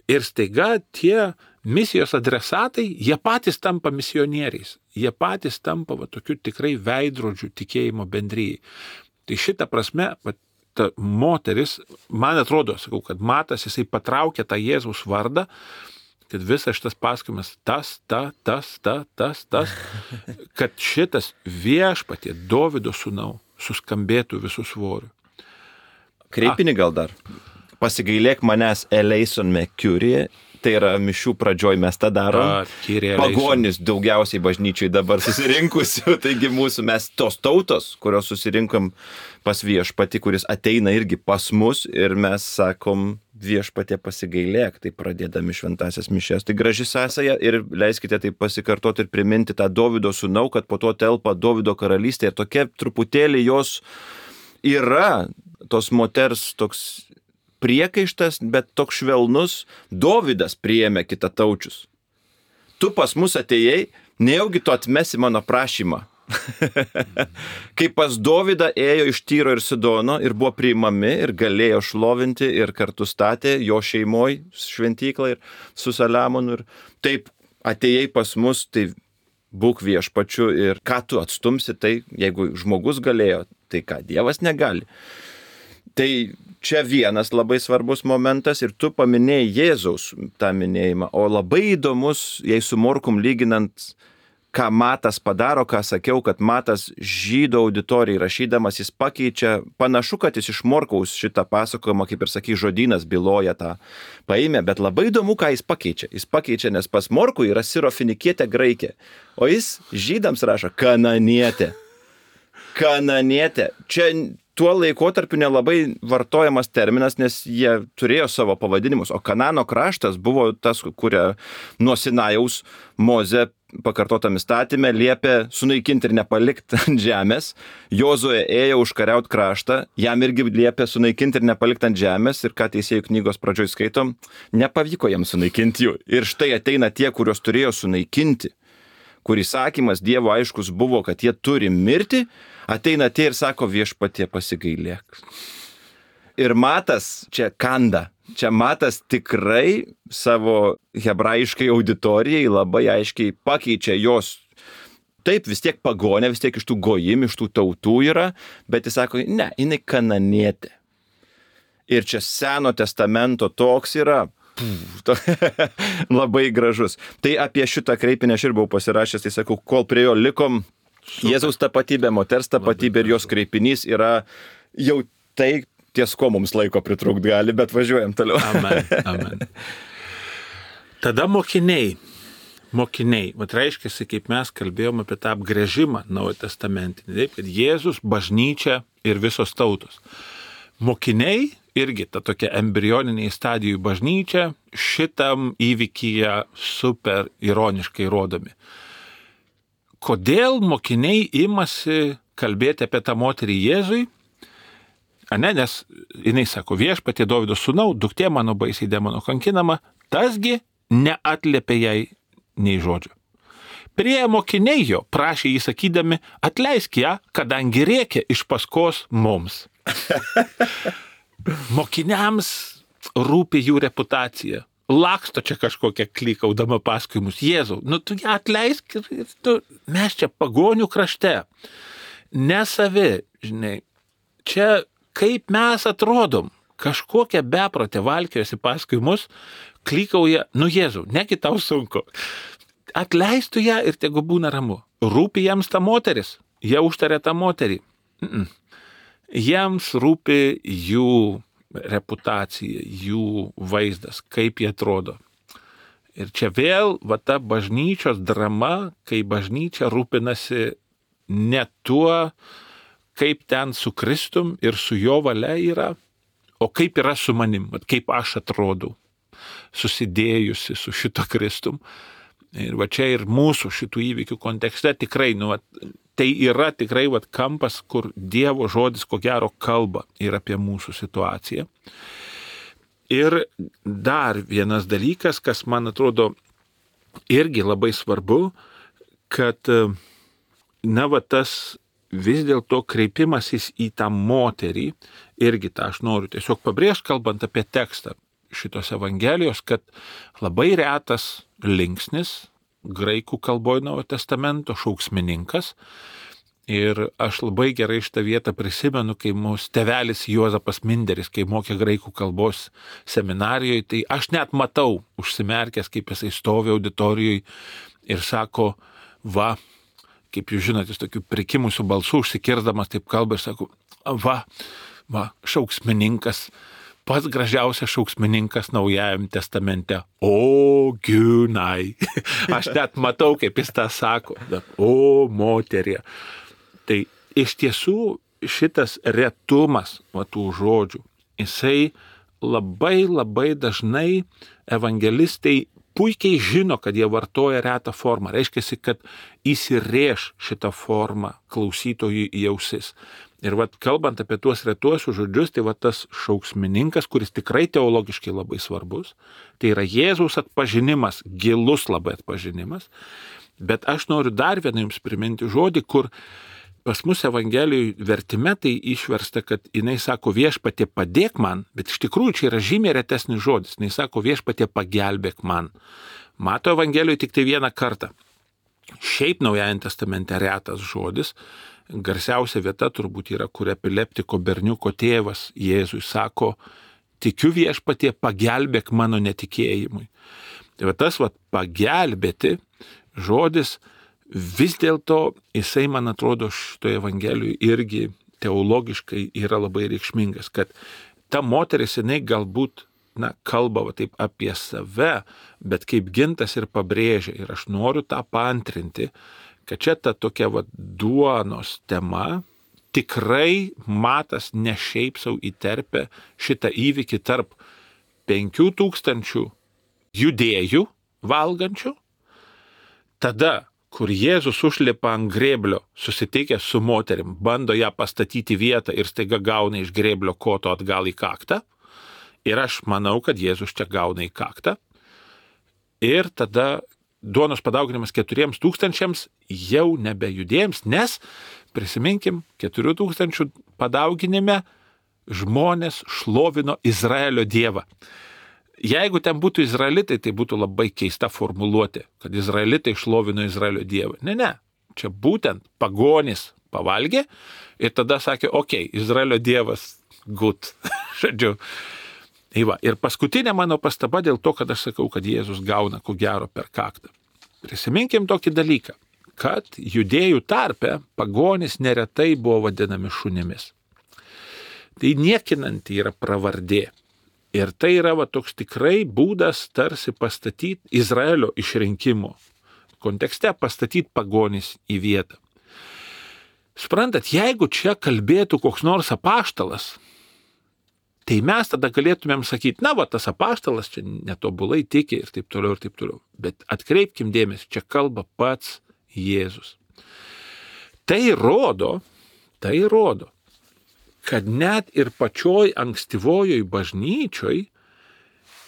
Ir staiga tie misijos adresatai, jie patys tampa misionieriais. Jie patys tampa tokiu tikrai veidrodžiu tikėjimo bendryjai. Tai šitą prasme, ta moteris, man atrodo, sakau, kad Matas, jisai patraukė tą Jėzaus vardą, kad visas šitas pasakojimas kad šitas viešpatie Dovydo sūnau suskambėtų visų svorių. Kreipinį gal dar. Pasigailėk manęs eleison me curie, Tai yra mišių pradžioj mes tą darom. Pagonis daugiausiai bažnyčiai dabar susirinkusių. Taigi mes tos tautos, kurios susirinkom pas viešpatį, kuris ateina irgi pas mus ir mes sakom viešpatie pasigailėk, tai pradėdami šventasias mišias. Tai graži sąsaja ir leiskite tai pasikartoti ir priminti tą Dovydo sūnau, kad po to telpa Dovydo karalystė ir tokia truputėlį jos yra tos moters toks priekaištas, bet toks švelnus. Dovydas priėmė kitataučius. Tu pas mus atėjai, nejaugi tu atmesi mano prašymą. Kai pas Dovydą ėjo iš Tyro ir Sidono ir buvo priimami ir galėjo šlovinti ir kartu statė jo šeimoj šventyklą ir su Saliamonu ir taip atėjai pas mus, tai būk viešpačiu ir ką tu atstumsi, tai jeigu žmogus galėjo, tai ką Dievas negali. Tai čia vienas labai svarbus momentas ir tu paminėjai Jėzaus tą minėjimą, o labai įdomus, jei su Morkum lyginant, ką Matas padaro, ką sakiau, kad Matas žydų auditorijai rašydamas, jis pakeičia, panašu, kad jis iš Morkaus šitą pasakojimą, kaip ir sakai, žodynas byloja tą paėmė, bet labai įdomu, ką jis pakeičia. Jis pakeičia, nes pas Morkų yra sirofinikietė graikė, o jis žydams rašo kananietė. Kananietė. Čia tuo laikotarpiu nelabai vartojamas terminas, nes jie turėjo savo pavadinimus, o Kanano kraštas buvo tas, kuria nuo Sinajaus Mozė pakartotam įstatymę liepė sunaikinti ir nepalikti ant žemės. Jozuė ėjo užkariaut kraštą, jam irgi liepė sunaikinti ir nepalikti ant žemės ir ką Teisėjų knygos pradžioj skaitom, nepavyko jam sunaikinti jų. Ir štai ateina tie, kuriuos turėjo sunaikinti, kur įsakymas Dievo aiškus buvo, kad jie turi mirti, ateina tie ir sako viešpatie pasigailėk. Ir Matas čia kanda. Čia Matas tikrai savo hebrajiškai auditorijai labai aiškiai pakeičia jos. Taip, vis tiek pagonė, vis tiek iš tų gojim, iš tų tautų yra, bet jis sako, ne, jinai kananietė. Ir čia Seno testamento toks yra labai gražus. Tai apie šitą kreipinį aš ir buvau pasirašęs, tai sakau, kol prie jo likom, Jėzaus tapatybė, moters tapatybė ir jos kreipinys yra jau tai, ties ko mums laiko pritrūkti gali, bet važiuojam toliau. Amen, amen. Tada mokiniai, vat reiškia, kaip mes kalbėjome apie tą apgręžimą Naujo testamentinį, taip, kad Jėzus, bažnyčia ir visos tautos. Mokiniai irgi ta tokia embrioniniai stadijų bažnyčia šitam įvykyje super ironiškai rodomi. Kodėl mokiniai imasi kalbėti apie tą moterį Jėzui? Nes jinai sako, viešpatie Dovydo sūnau, duktė mano baisiai demono kankinama, tasgi neatliepė jai nei žodžio. Priėjo mokiniai jo, prašė jį sakydami, atleisk ją, kadangi rėkė iš paskos mums. Mokiniams rūpi jų reputacija. Laksto čia kažkokia klikaudama paskui mus. Jėzau, tu ją atleisk ir mes čia pagonių krašte. Nesavi, žinai, čia kaip mes atrodom, kažkokia beprotė valkiojasi paskui mus, klykauja, Jėzau, negi tau sunku. Atleistų ją ir tegu būna ramu. Rūpi jiems ta moteris, jie užtarė tą moterį. Jiems rūpi jų reputacija, jų vaizdas, kaip jie atrodo. Ir čia vėl ta bažnyčios drama, kai bažnyčia rūpinasi ne tuo, kaip ten su Kristum ir su jo valia yra, o kaip yra su manim, kaip aš atrodau, susidėjusi su šito Kristum. Ir čia ir mūsų šitų įvykių kontekste tikrai, tai yra tikrai kampas, kur Dievo žodis ko gero kalba ir apie mūsų situaciją. Ir dar vienas dalykas, kas man atrodo irgi labai svarbu, kad tas vis dėlto kreipimasis į tą moterį, irgi tą aš noriu tiesiog pabrėžti, kalbant apie tekstą šitos Evangelijos, kad labai retas linksnis graikų kalboje Naujojo testamento šauksmininkas. Ir aš labai gerai šitą vietą prisimenu, kai mūsų tėvelis Juozapas Minderis, kai mokė graikų kalbos seminarijoje, tai aš net matau užsimerkęs, kaip jisai stovi auditorijoje ir sako, kaip jūs žinote, jis tokių prikimusių balsų užsikirdamas taip kalba ir sako, šauksmininkas pats gražiausias šauksmininkas Naujajam testamente. O Giunai. Aš net matau, kaip jis tą sako. O moterie. Tai iš tiesų šitas retumas tų žodžių, jisai labai dažnai evangelistai puikiai žino, kad jie vartoja retą formą. Reiškia, kad įsirėš šitą formą klausytojui į ausis. Ir kalbant apie tuos retuosius žodžius, tai tas šauksmininkas, kuris tikrai teologiškai labai svarbus, tai yra Jėzaus atpažinimas, gilus labai atpažinimas. Bet aš noriu dar vieną jums priminti žodį, kur pas mus Evangelijų vertime tai išversta, kad jinai sako viešpatie padėk man, bet iš tikrųjų čia yra žymiai retesnis žodis. Jinai sako viešpatie pagelbėk man. Mato Evangelijoje tik tai vieną kartą. Šiaip Naujajame testamente retas žodis. Garsiausia vieta turbūt yra, kur epileptiko berniuko tėvas Jėzui sako, tikiu viešpatie pagelbėk mano netikėjimui. Tai tas pagelbėti žodis vis dėlto jisai, man atrodo, šitoje Evangelijoje irgi teologiškai yra labai reikšmingas, kad ta moteris, jinai galbūt, kalba taip apie save, bet kaip Gintas ir pabrėžia, ir aš noriu tą paantrinti, kad čia ta tokia duonos tema tikrai Matas ne šiaip sau įterpia šitą įvykį tarp 5000 judėjų valgančių, tada kur Jėzus užlipa ant grėblio, susitikęs su moterim, bando ją pastatyti vietą ir staiga gauna iš grėblio koto atgal į kaktą. Ir aš manau, kad Jėzus čia gauna į kaktą. Ir tada duonos padauginimas 4000 jau nebejudėjams, nes, prisiminkim, 4000 padauginime žmonės šlovino Izraelio dievą. Jeigu ten būtų izraelitai, tai būtų labai keista formuluotė, kad izraelitai šlovino Izraelio dievą. Ne. Čia būtent pagonis pavalgė ir tada sakė, Izraelio dievas good. Žodžiu. Ir paskutinė mano pastaba dėl to, kad aš sakau, kad Jėzus gauna ko gero per kaktą. Prisiminkim tokį dalyką, kad judėjų tarpe pagonis neretai buvo vadinami šunimis. Tai niekinanti yra pravardė. Ir tai yra toks tikrai būdas tarsi pastatyti Izraelio išrinkimo kontekste, pastatyti pagonis į vietą. Suprantat, jeigu čia kalbėtų koks nors apaštalas, tai mes tada galėtumėm sakyti, tas apaštalas čia netobulai tiki ir taip toliau. Bet atkreipkim dėmesį, čia kalba pats Jėzus. Tai rodo, kad net ir pačioj ankstyvojoj bažnyčioj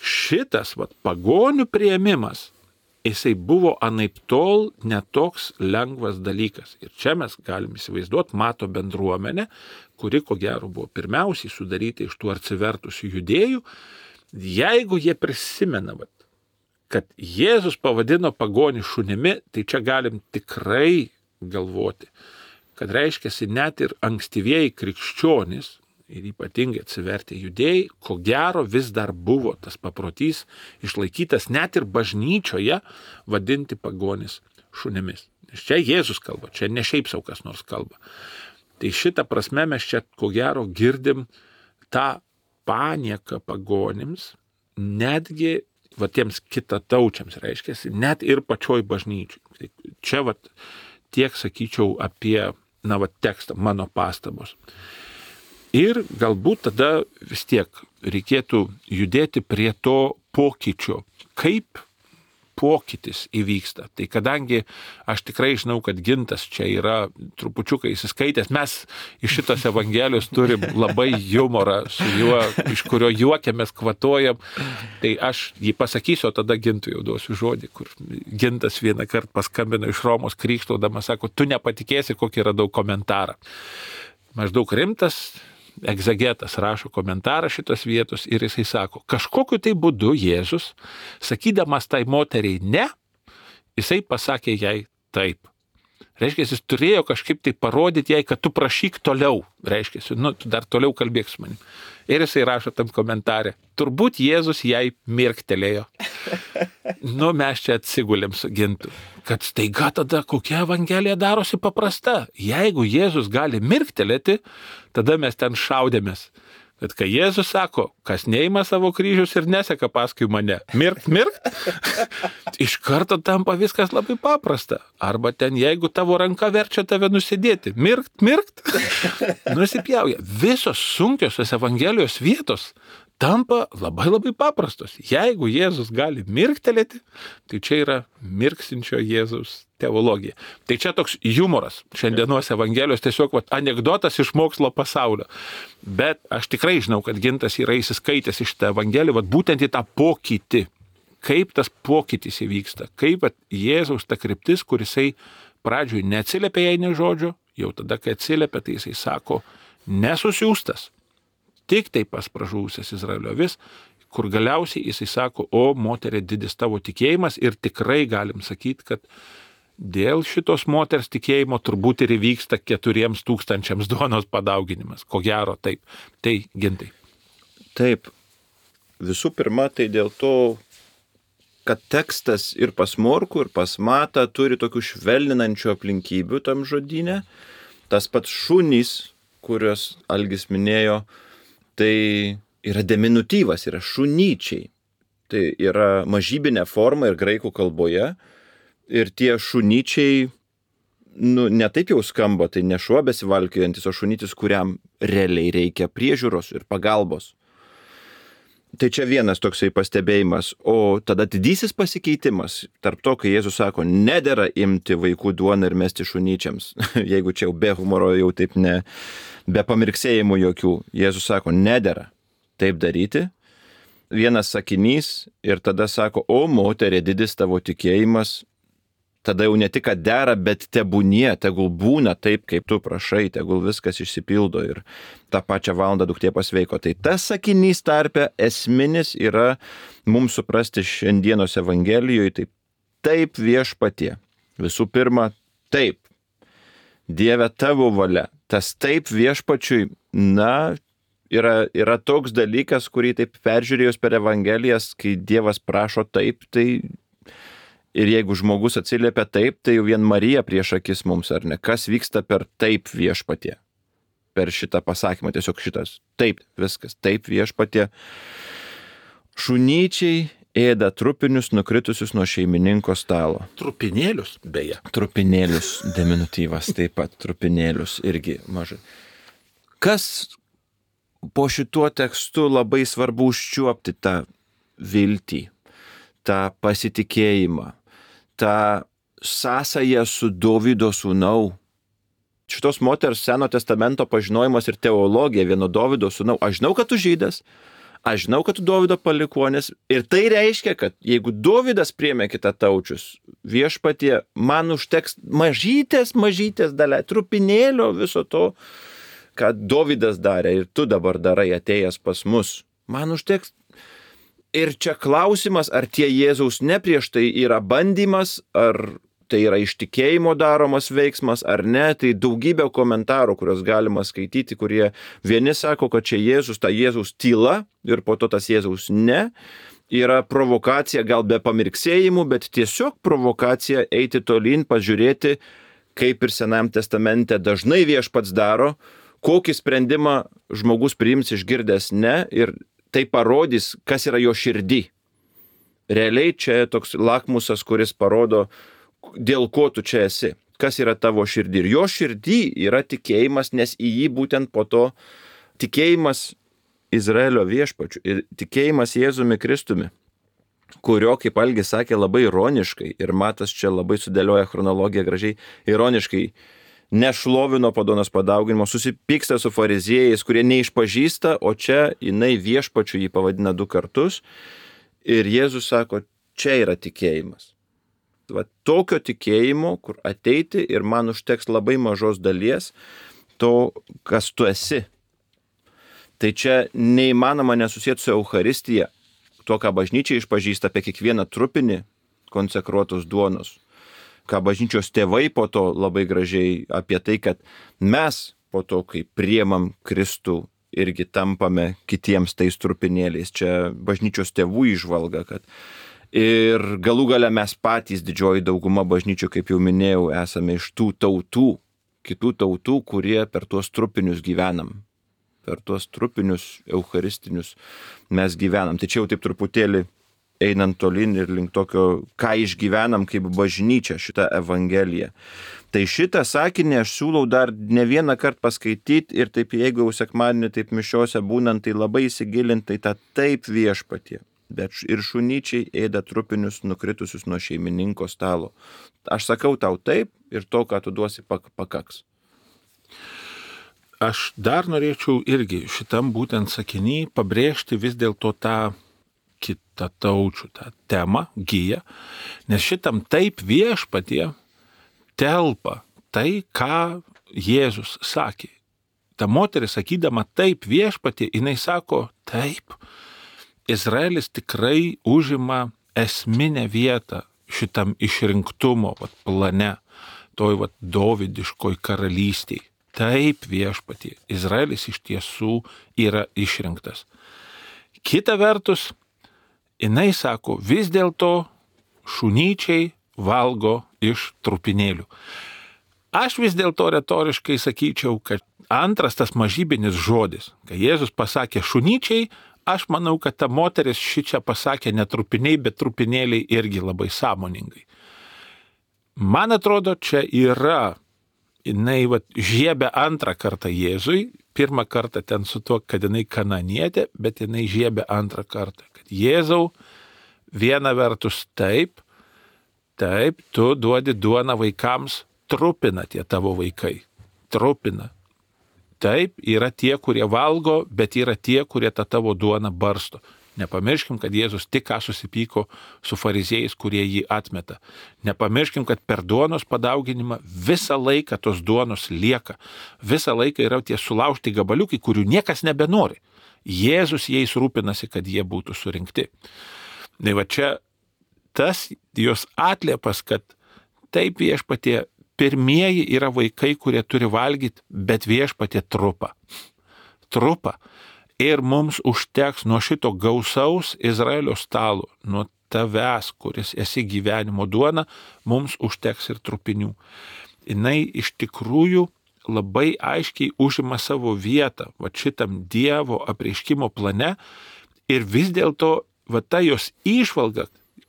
šitas pagonių priėmimas, jisai buvo anaiptol netoks lengvas dalykas. Ir čia mes galim įsivaizduoti Mato bendruomenę, kuri ko gero buvo pirmiausiai sudaryta iš tų atsivertusių judėjų. Jeigu jie prisimena, kad Jėzus pavadino pagonį šunimi, tai čia galim tikrai galvoti, kad reiškiasi net ir ankstyvieji krikščionys ir ypatingai atsivertę judėjai, ko gero vis dar buvo tas paprotys išlaikytas net ir bažnyčioje vadinti pagonis šunimis. Nes čia Jėzus kalba, čia ne šiaip sau kas nors kalba. Tai šitą prasme mes čia ko gero girdim tą panieką pagonims, netgi tiems kitataučiams reiškiasi, net ir pačioj bažnyčiai. Tai čia tiek sakyčiau apie tekstą, mano pastabos. Ir galbūt tada vis tiek reikėtų judėti prie to pokyčio, kaip pokytis įvyksta. Tai kadangi aš tikrai žinau, kad Gintas čia yra trupučiuką įsiskaitęs, mes iš šitos Evangelijos turim labai humorą su juo, iš kurio juokiamės, kvatojam, tai aš jį pasakysiu, o tada Gintui jau duosiu žodį, kur Gintas vieną kartą paskambino iš Romos krykštaudamas, sako, tu nepatikėsi, kokį radau komentarą. Maždaug rimtas egzegetas rašo komentarą šitos vietos ir jisai sako, kažkokiu tai būdu Jėzus, sakydamas tai moteriai ne, jisai pasakė jai taip. Reiškia, jis turėjo kažkaip tai parodyti jai, kad tu prašyk toliau. Reiškia, tu dar toliau kalbėk su manim. Ir jisai rašo tam komentarė, turbūt Jėzus jai mirktelėjo. Mes čia atsigulėm su Gintu. Kad staiga tada kokia Evangelija darosi paprasta. Jeigu Jėzus gali mirktelėti, tada mes ten šaudėmės. Bet kai Jėzus sako, kas neima savo kryžius ir neseka paskui mane, mirkt, iš karto tampa viskas labai paprasta. Arba ten, jeigu tavo ranka verčia tave nusidėti, mirkt, nusipjauja. Visos sunkiosios Evangelijos vietos tampa labai labai paprastos. Jeigu Jėzus gali mirktelėti, tai čia yra mirksinčio Jėzaus teologija. Tai čia toks humoras šiandienos Evangelijos, tiesiog anekdotas iš mokslo pasaulio. Bet aš tikrai žinau, kad Gintas yra įsiskaitęs iš tą Evangeliją, būtent į tą pokytį. Kaip tas pokytis įvyksta, kaip Jėzaus ta kryptis, kur jisai pradžioj neatsiliepia jai nė žodžio, jau tada, kai atsiliepia, tai jisai sako, nesusiųstas, tik tai pas pražuvusias Izraelio avis, kur galiausiai jisai sako, o moterė didis tavo tikėjimas ir tikrai galim sakyti, kad dėl šitos moters tikėjimo turbūt ir įvyksta 4,000 duonos padauginimas. Ko gero taip. Tai Gintai. Taip. Visų pirma, tai dėl to, kad tekstas ir pas Morkų, ir pas Matą turi tokių švelninančių aplinkybių tam žodyne. Tas pats šunys, kuriuos Algis minėjo, tai yra diminutyvas, yra šunyčiai. Tai yra mažybinė forma ir graikų kalboje. Ir tie šunyčiai, ne taip jau skamba, tai ne šuo besivalkiojantis, o šunytis, kuriam realiai reikia priežiūros ir pagalbos. Tai čia vienas toksai pastebėjimas. O tada didysis pasikeitimas tarp to, kai Jėzus sako, nedera imti vaikų duoną ir mesti šunyčiams. Jeigu čia jau be humoro, jau taip be pamirksėjimų jokių. Jėzus sako, nedera taip daryti. Vienas sakinys ir tada sako, o moterė didis tavo tikėjimas. Tada jau ne tik, kad dera, bet tebūnie, tegul būna taip, kaip tu prašai, tegul viskas išsipildo ir tą pačią valandą duktė pasveiko. Tai tas sakinys tarpe esminis yra mums suprasti šiandienos Evangelijoje, taip Viešpatie. Visų pirma, taip. Dieve tavo valia. Tas taip Viešpačiui, yra toks dalykas, kurį taip peržiūrėjus per Evangelijas, kai Dievas prašo taip, tai ir jeigu žmogus atsiliepia taip, tai jau vien Marija prieš akis mums, ar ne? Kas vyksta per taip Viešpatie? Per šitą pasakymą, tiesiog šitas. Taip, viskas. Taip Viešpatie. Šunyčiai ėda trupinius nukritusius nuo šeimininko stalo. Trupinėlius, beje. Trupinėlius, diminutyvas taip pat. Trupinėlius irgi mažai. Kas po šituo tekstu labai svarbu užčiuopti tą viltį, tą pasitikėjimą, tą sąsają su Dovydo sūnau. Šitos moters Seno testamento pažinojimas ir teologija vieno Dovydo sūnau. Aš žinau, kad tu žydas, aš žinau, kad tu Dovydo palikuonis. Ir tai reiškia, kad jeigu Dovydas priėmė kitataučius, Viešpatie, man užteks mažytės dalė, trupinėlio viso to, ką Dovydas darė ir tu dabar darai atėjęs pas mus. Man užteks. Ir čia klausimas, ar tie Jėzaus ne prieš tai yra bandymas, ar tai yra iš tikėjimo daromas veiksmas, ar ne. Tai daugybė komentarų, kuriuos galima skaityti, kurie vieni sako, kad čia Jėzus, ta Jėzaus tyla ir po to tas Jėzaus ne. Yra provokacija gal be pamirksėjimų, bet tiesiog provokacija eiti tolyn, pažiūrėti, kaip ir Senajam testamente dažnai Viešpats daro, kokį sprendimą žmogus priims išgirdęs ne ir tai parodys, kas yra jo širdį. Realiai čia toks lakmusas, kuris parodo, dėl ko tu čia esi, kas yra tavo širdį. Ir jo širdį yra tikėjimas, nes į jį būtent po to tikėjimas Izraelio Viešpačiu ir tikėjimas Jėzumi Kristumi, kurio, kaip Algis sakė, labai ironiškai, ir Matas čia labai sudėlioja chronologiją gražiai, ironiškai nešlovino po duonos padauginimo, susipyksta su fariziejais, kurie neišpažįsta, o čia jinai Viešpačiu jį pavadina 2 kartus. Ir Jėzus sako, čia yra tikėjimas. Va, tokio tikėjimo, kur ateiti ir man užteks labai mažos dalies to, kas tu esi. Tai čia neįmanoma nesusėti su Eucharistija, to, ką bažnyčia išpažįsta apie kiekvieną trupinį konsekruotos duonos. Ką bažnyčios tėvai po to labai gražiai apie tai, kad mes po to, kai priemam Kristų, irgi tampame kitiems tais trupinėliais. Čia bažnyčios tėvų įžvalga, kad ir galų gale mes patys, didžioji dauguma bažnyčių, kaip jau minėjau, esame iš tų tautų, kitų tautų, kurie per tuos trupinius gyvenam. per tuos trupinius, eucharistinius mes gyvenam. Tai čia jau taip truputėlį einant tolin ir link tokio, ką išgyvenam kaip bažnyčia šitą Evangeliją. Tai šitą sakinį aš siūlau dar ne vieną kartą paskaityti ir taip, jeigu jau sekmadienį taip mišiose būnant, tai labai įsigilinti į tą taip viešpatie. Bet ir šunyčiai ėda trupinius nukritusius nuo šeimininko stalo. Aš sakau tau taip ir to, ką tu duosi, pakaks. Aš dar norėčiau irgi šitam būtent sakiny pabrėžti vis dėlto tą kitą taučių, tą temą, giją, nes šitam taip viešpatie telpa tai, ką Jėzus sakė. Ta moteris sakydama taip viešpatie, jinai sako taip, Izraelis tikrai užima esminę vietą šitam išrinktumo plane, toj dovydiškoj karalystėj. Taip viešpatie, Izraelis iš tiesų yra išrinktas. Kita vertus, jinai sako, vis dėlto šunyčiai valgo iš trupinėlių. Aš vis dėlto retoriškai sakyčiau, kad antras tas mažybinis žodis, kai Jėzus pasakė šunyčiai, aš manau, kad ta moteris šičia pasakė ne trupiniai, bet trupinėliai irgi labai sąmoningai. Man atrodo, čia yra, jinai žiebė antrą kartą Jėzui, pirmą kartą ten su tuo, kad jinai kananietė, bet jinai žiebė antrą kartą. Jėzau, viena vertus taip, tu duodi duoną vaikams, trupina tie tavo vaikai, trupina. Taip, yra tie, kurie valgo, bet yra tie, kurie tą tavo duoną barsto. Nepamirškim, kad Jėzus tik ką susipyko su fariziejais, kurie jį atmeta. Nepamirškim, kad per duonos padauginimą visą laiką tos duonos lieka. Visą laiką yra tie sulaužti gabaliukai, kurių niekas nebenori. Jėzus jais rūpinasi, kad jie būtų surinkti. Tai va čia tas jos atliepas, kad taip viešpatie pirmieji yra vaikai, kurie turi valgyti, bet viešpatie trupa. Trupa. Ir mums užteks nuo šito gausaus Izraelio stalo, nuo tavęs, kuris esi gyvenimo duona, mums užteks ir trupinių. Jinai iš tikrųjų labai aiškiai užima savo vietą šitam Dievo apreiškimo plane ir vis dėlto ta jos įžvalga,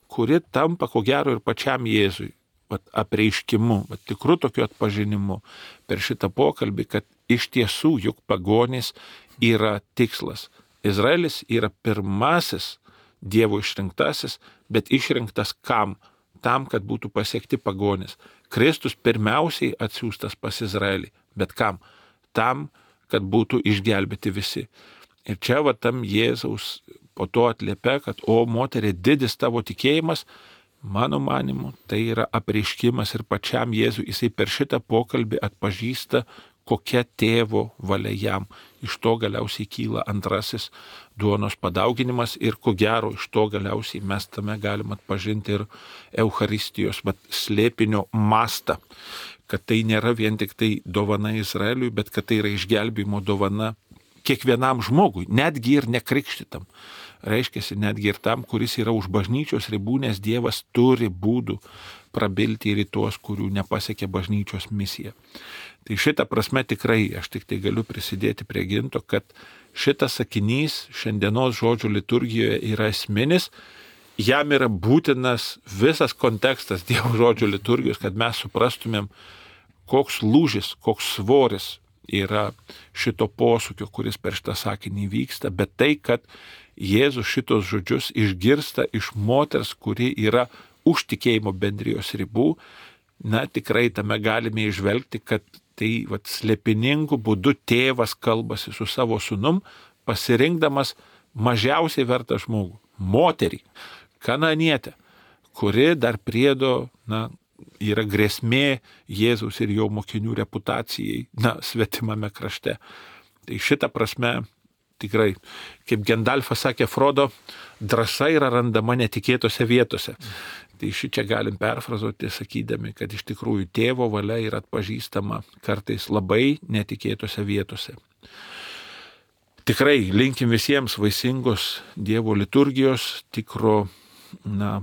kuri tampa ko gero ir pačiam Jėzui apreiškimu, tikru tokiu atpažinimu per šitą pokalbį, kad iš tiesų juk pagonys yra tikslas. Izraelis yra pirmasis Dievo išrinktasis, bet išrinktas kam? Tam, kad būtų pasiekti pagonys. Kristus pirmiausiai atsiųstas pas Izraelį. Bet kam? Tam, kad būtų išgelbėti visi. Ir čia tam Jėzaus po to atliepia, kad o moterie, didis tavo tikėjimas, mano manimu, tai yra apreiškimas ir pačiam Jėzui. Jisai per šitą pokalbį atpažįsta, kokia tėvo valia jam. Iš to galiausiai kyla antrasis duonos padauginimas ir ko gero iš to galiausiai mes tame galim atpažinti ir Eucharistijos slėpinio mastą, kad tai nėra vien tik tai dovana Izraeliui, bet kad tai yra išgelbėjimo dovana kiekvienam žmogui, netgi ir nekrikštytam. Reiškiasi netgi ir tam, kuris yra už bažnyčios ribų, nes Dievas turi būdų prabilti ir į tuos, kurių nepasiekė bažnyčios misija. Tai šitą prasme tikrai aš tik tai galiu prisidėti prie Ginto, kad šitas sakinys šiandienos žodžių liturgijoje yra esminis, jam yra būtinas visas kontekstas Dievo žodžių liturgijos, kad mes suprastumėm, koks lūžis, koks svoris yra šito posūkio, kuris per šitą sakinį vyksta, bet tai, kad Jėzus šitos žodžius išgirsta iš moters, kuri yra už tikėjimo bendrijos ribų, tikrai tame galime išvelgti, kad tai slėpiningų būdų tėvas kalbasi su savo sūnum, pasirinkdamas mažiausiai vertą žmogų, moterį, kananietę, kuri dar priedo, yra grėsmė Jėzaus ir jo mokinių reputacijai, svetimame krašte. Tai šitą prasme tikrai, kaip Gendalfas sakė Frodo, drąsa yra randama netikėtose vietose. Tai šičia galim perfrazuoti, sakydami, kad iš tikrųjų tėvo valia yra atpažįstama kartais labai netikėtose vietose. Tikrai linkim visiems vaisingos Dievo liturgijos, tikro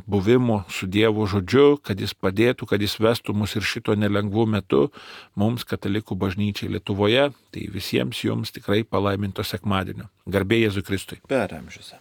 buvimo su Dievo žodžiu, kad jis padėtų, kad jis vestų mus ir šito nelengvų metu mums, katalikų bažnyčiai Lietuvoje. Tai visiems jums tikrai palaiminto sekmadienio. Garbė Jėzui Kristui. Per amžius.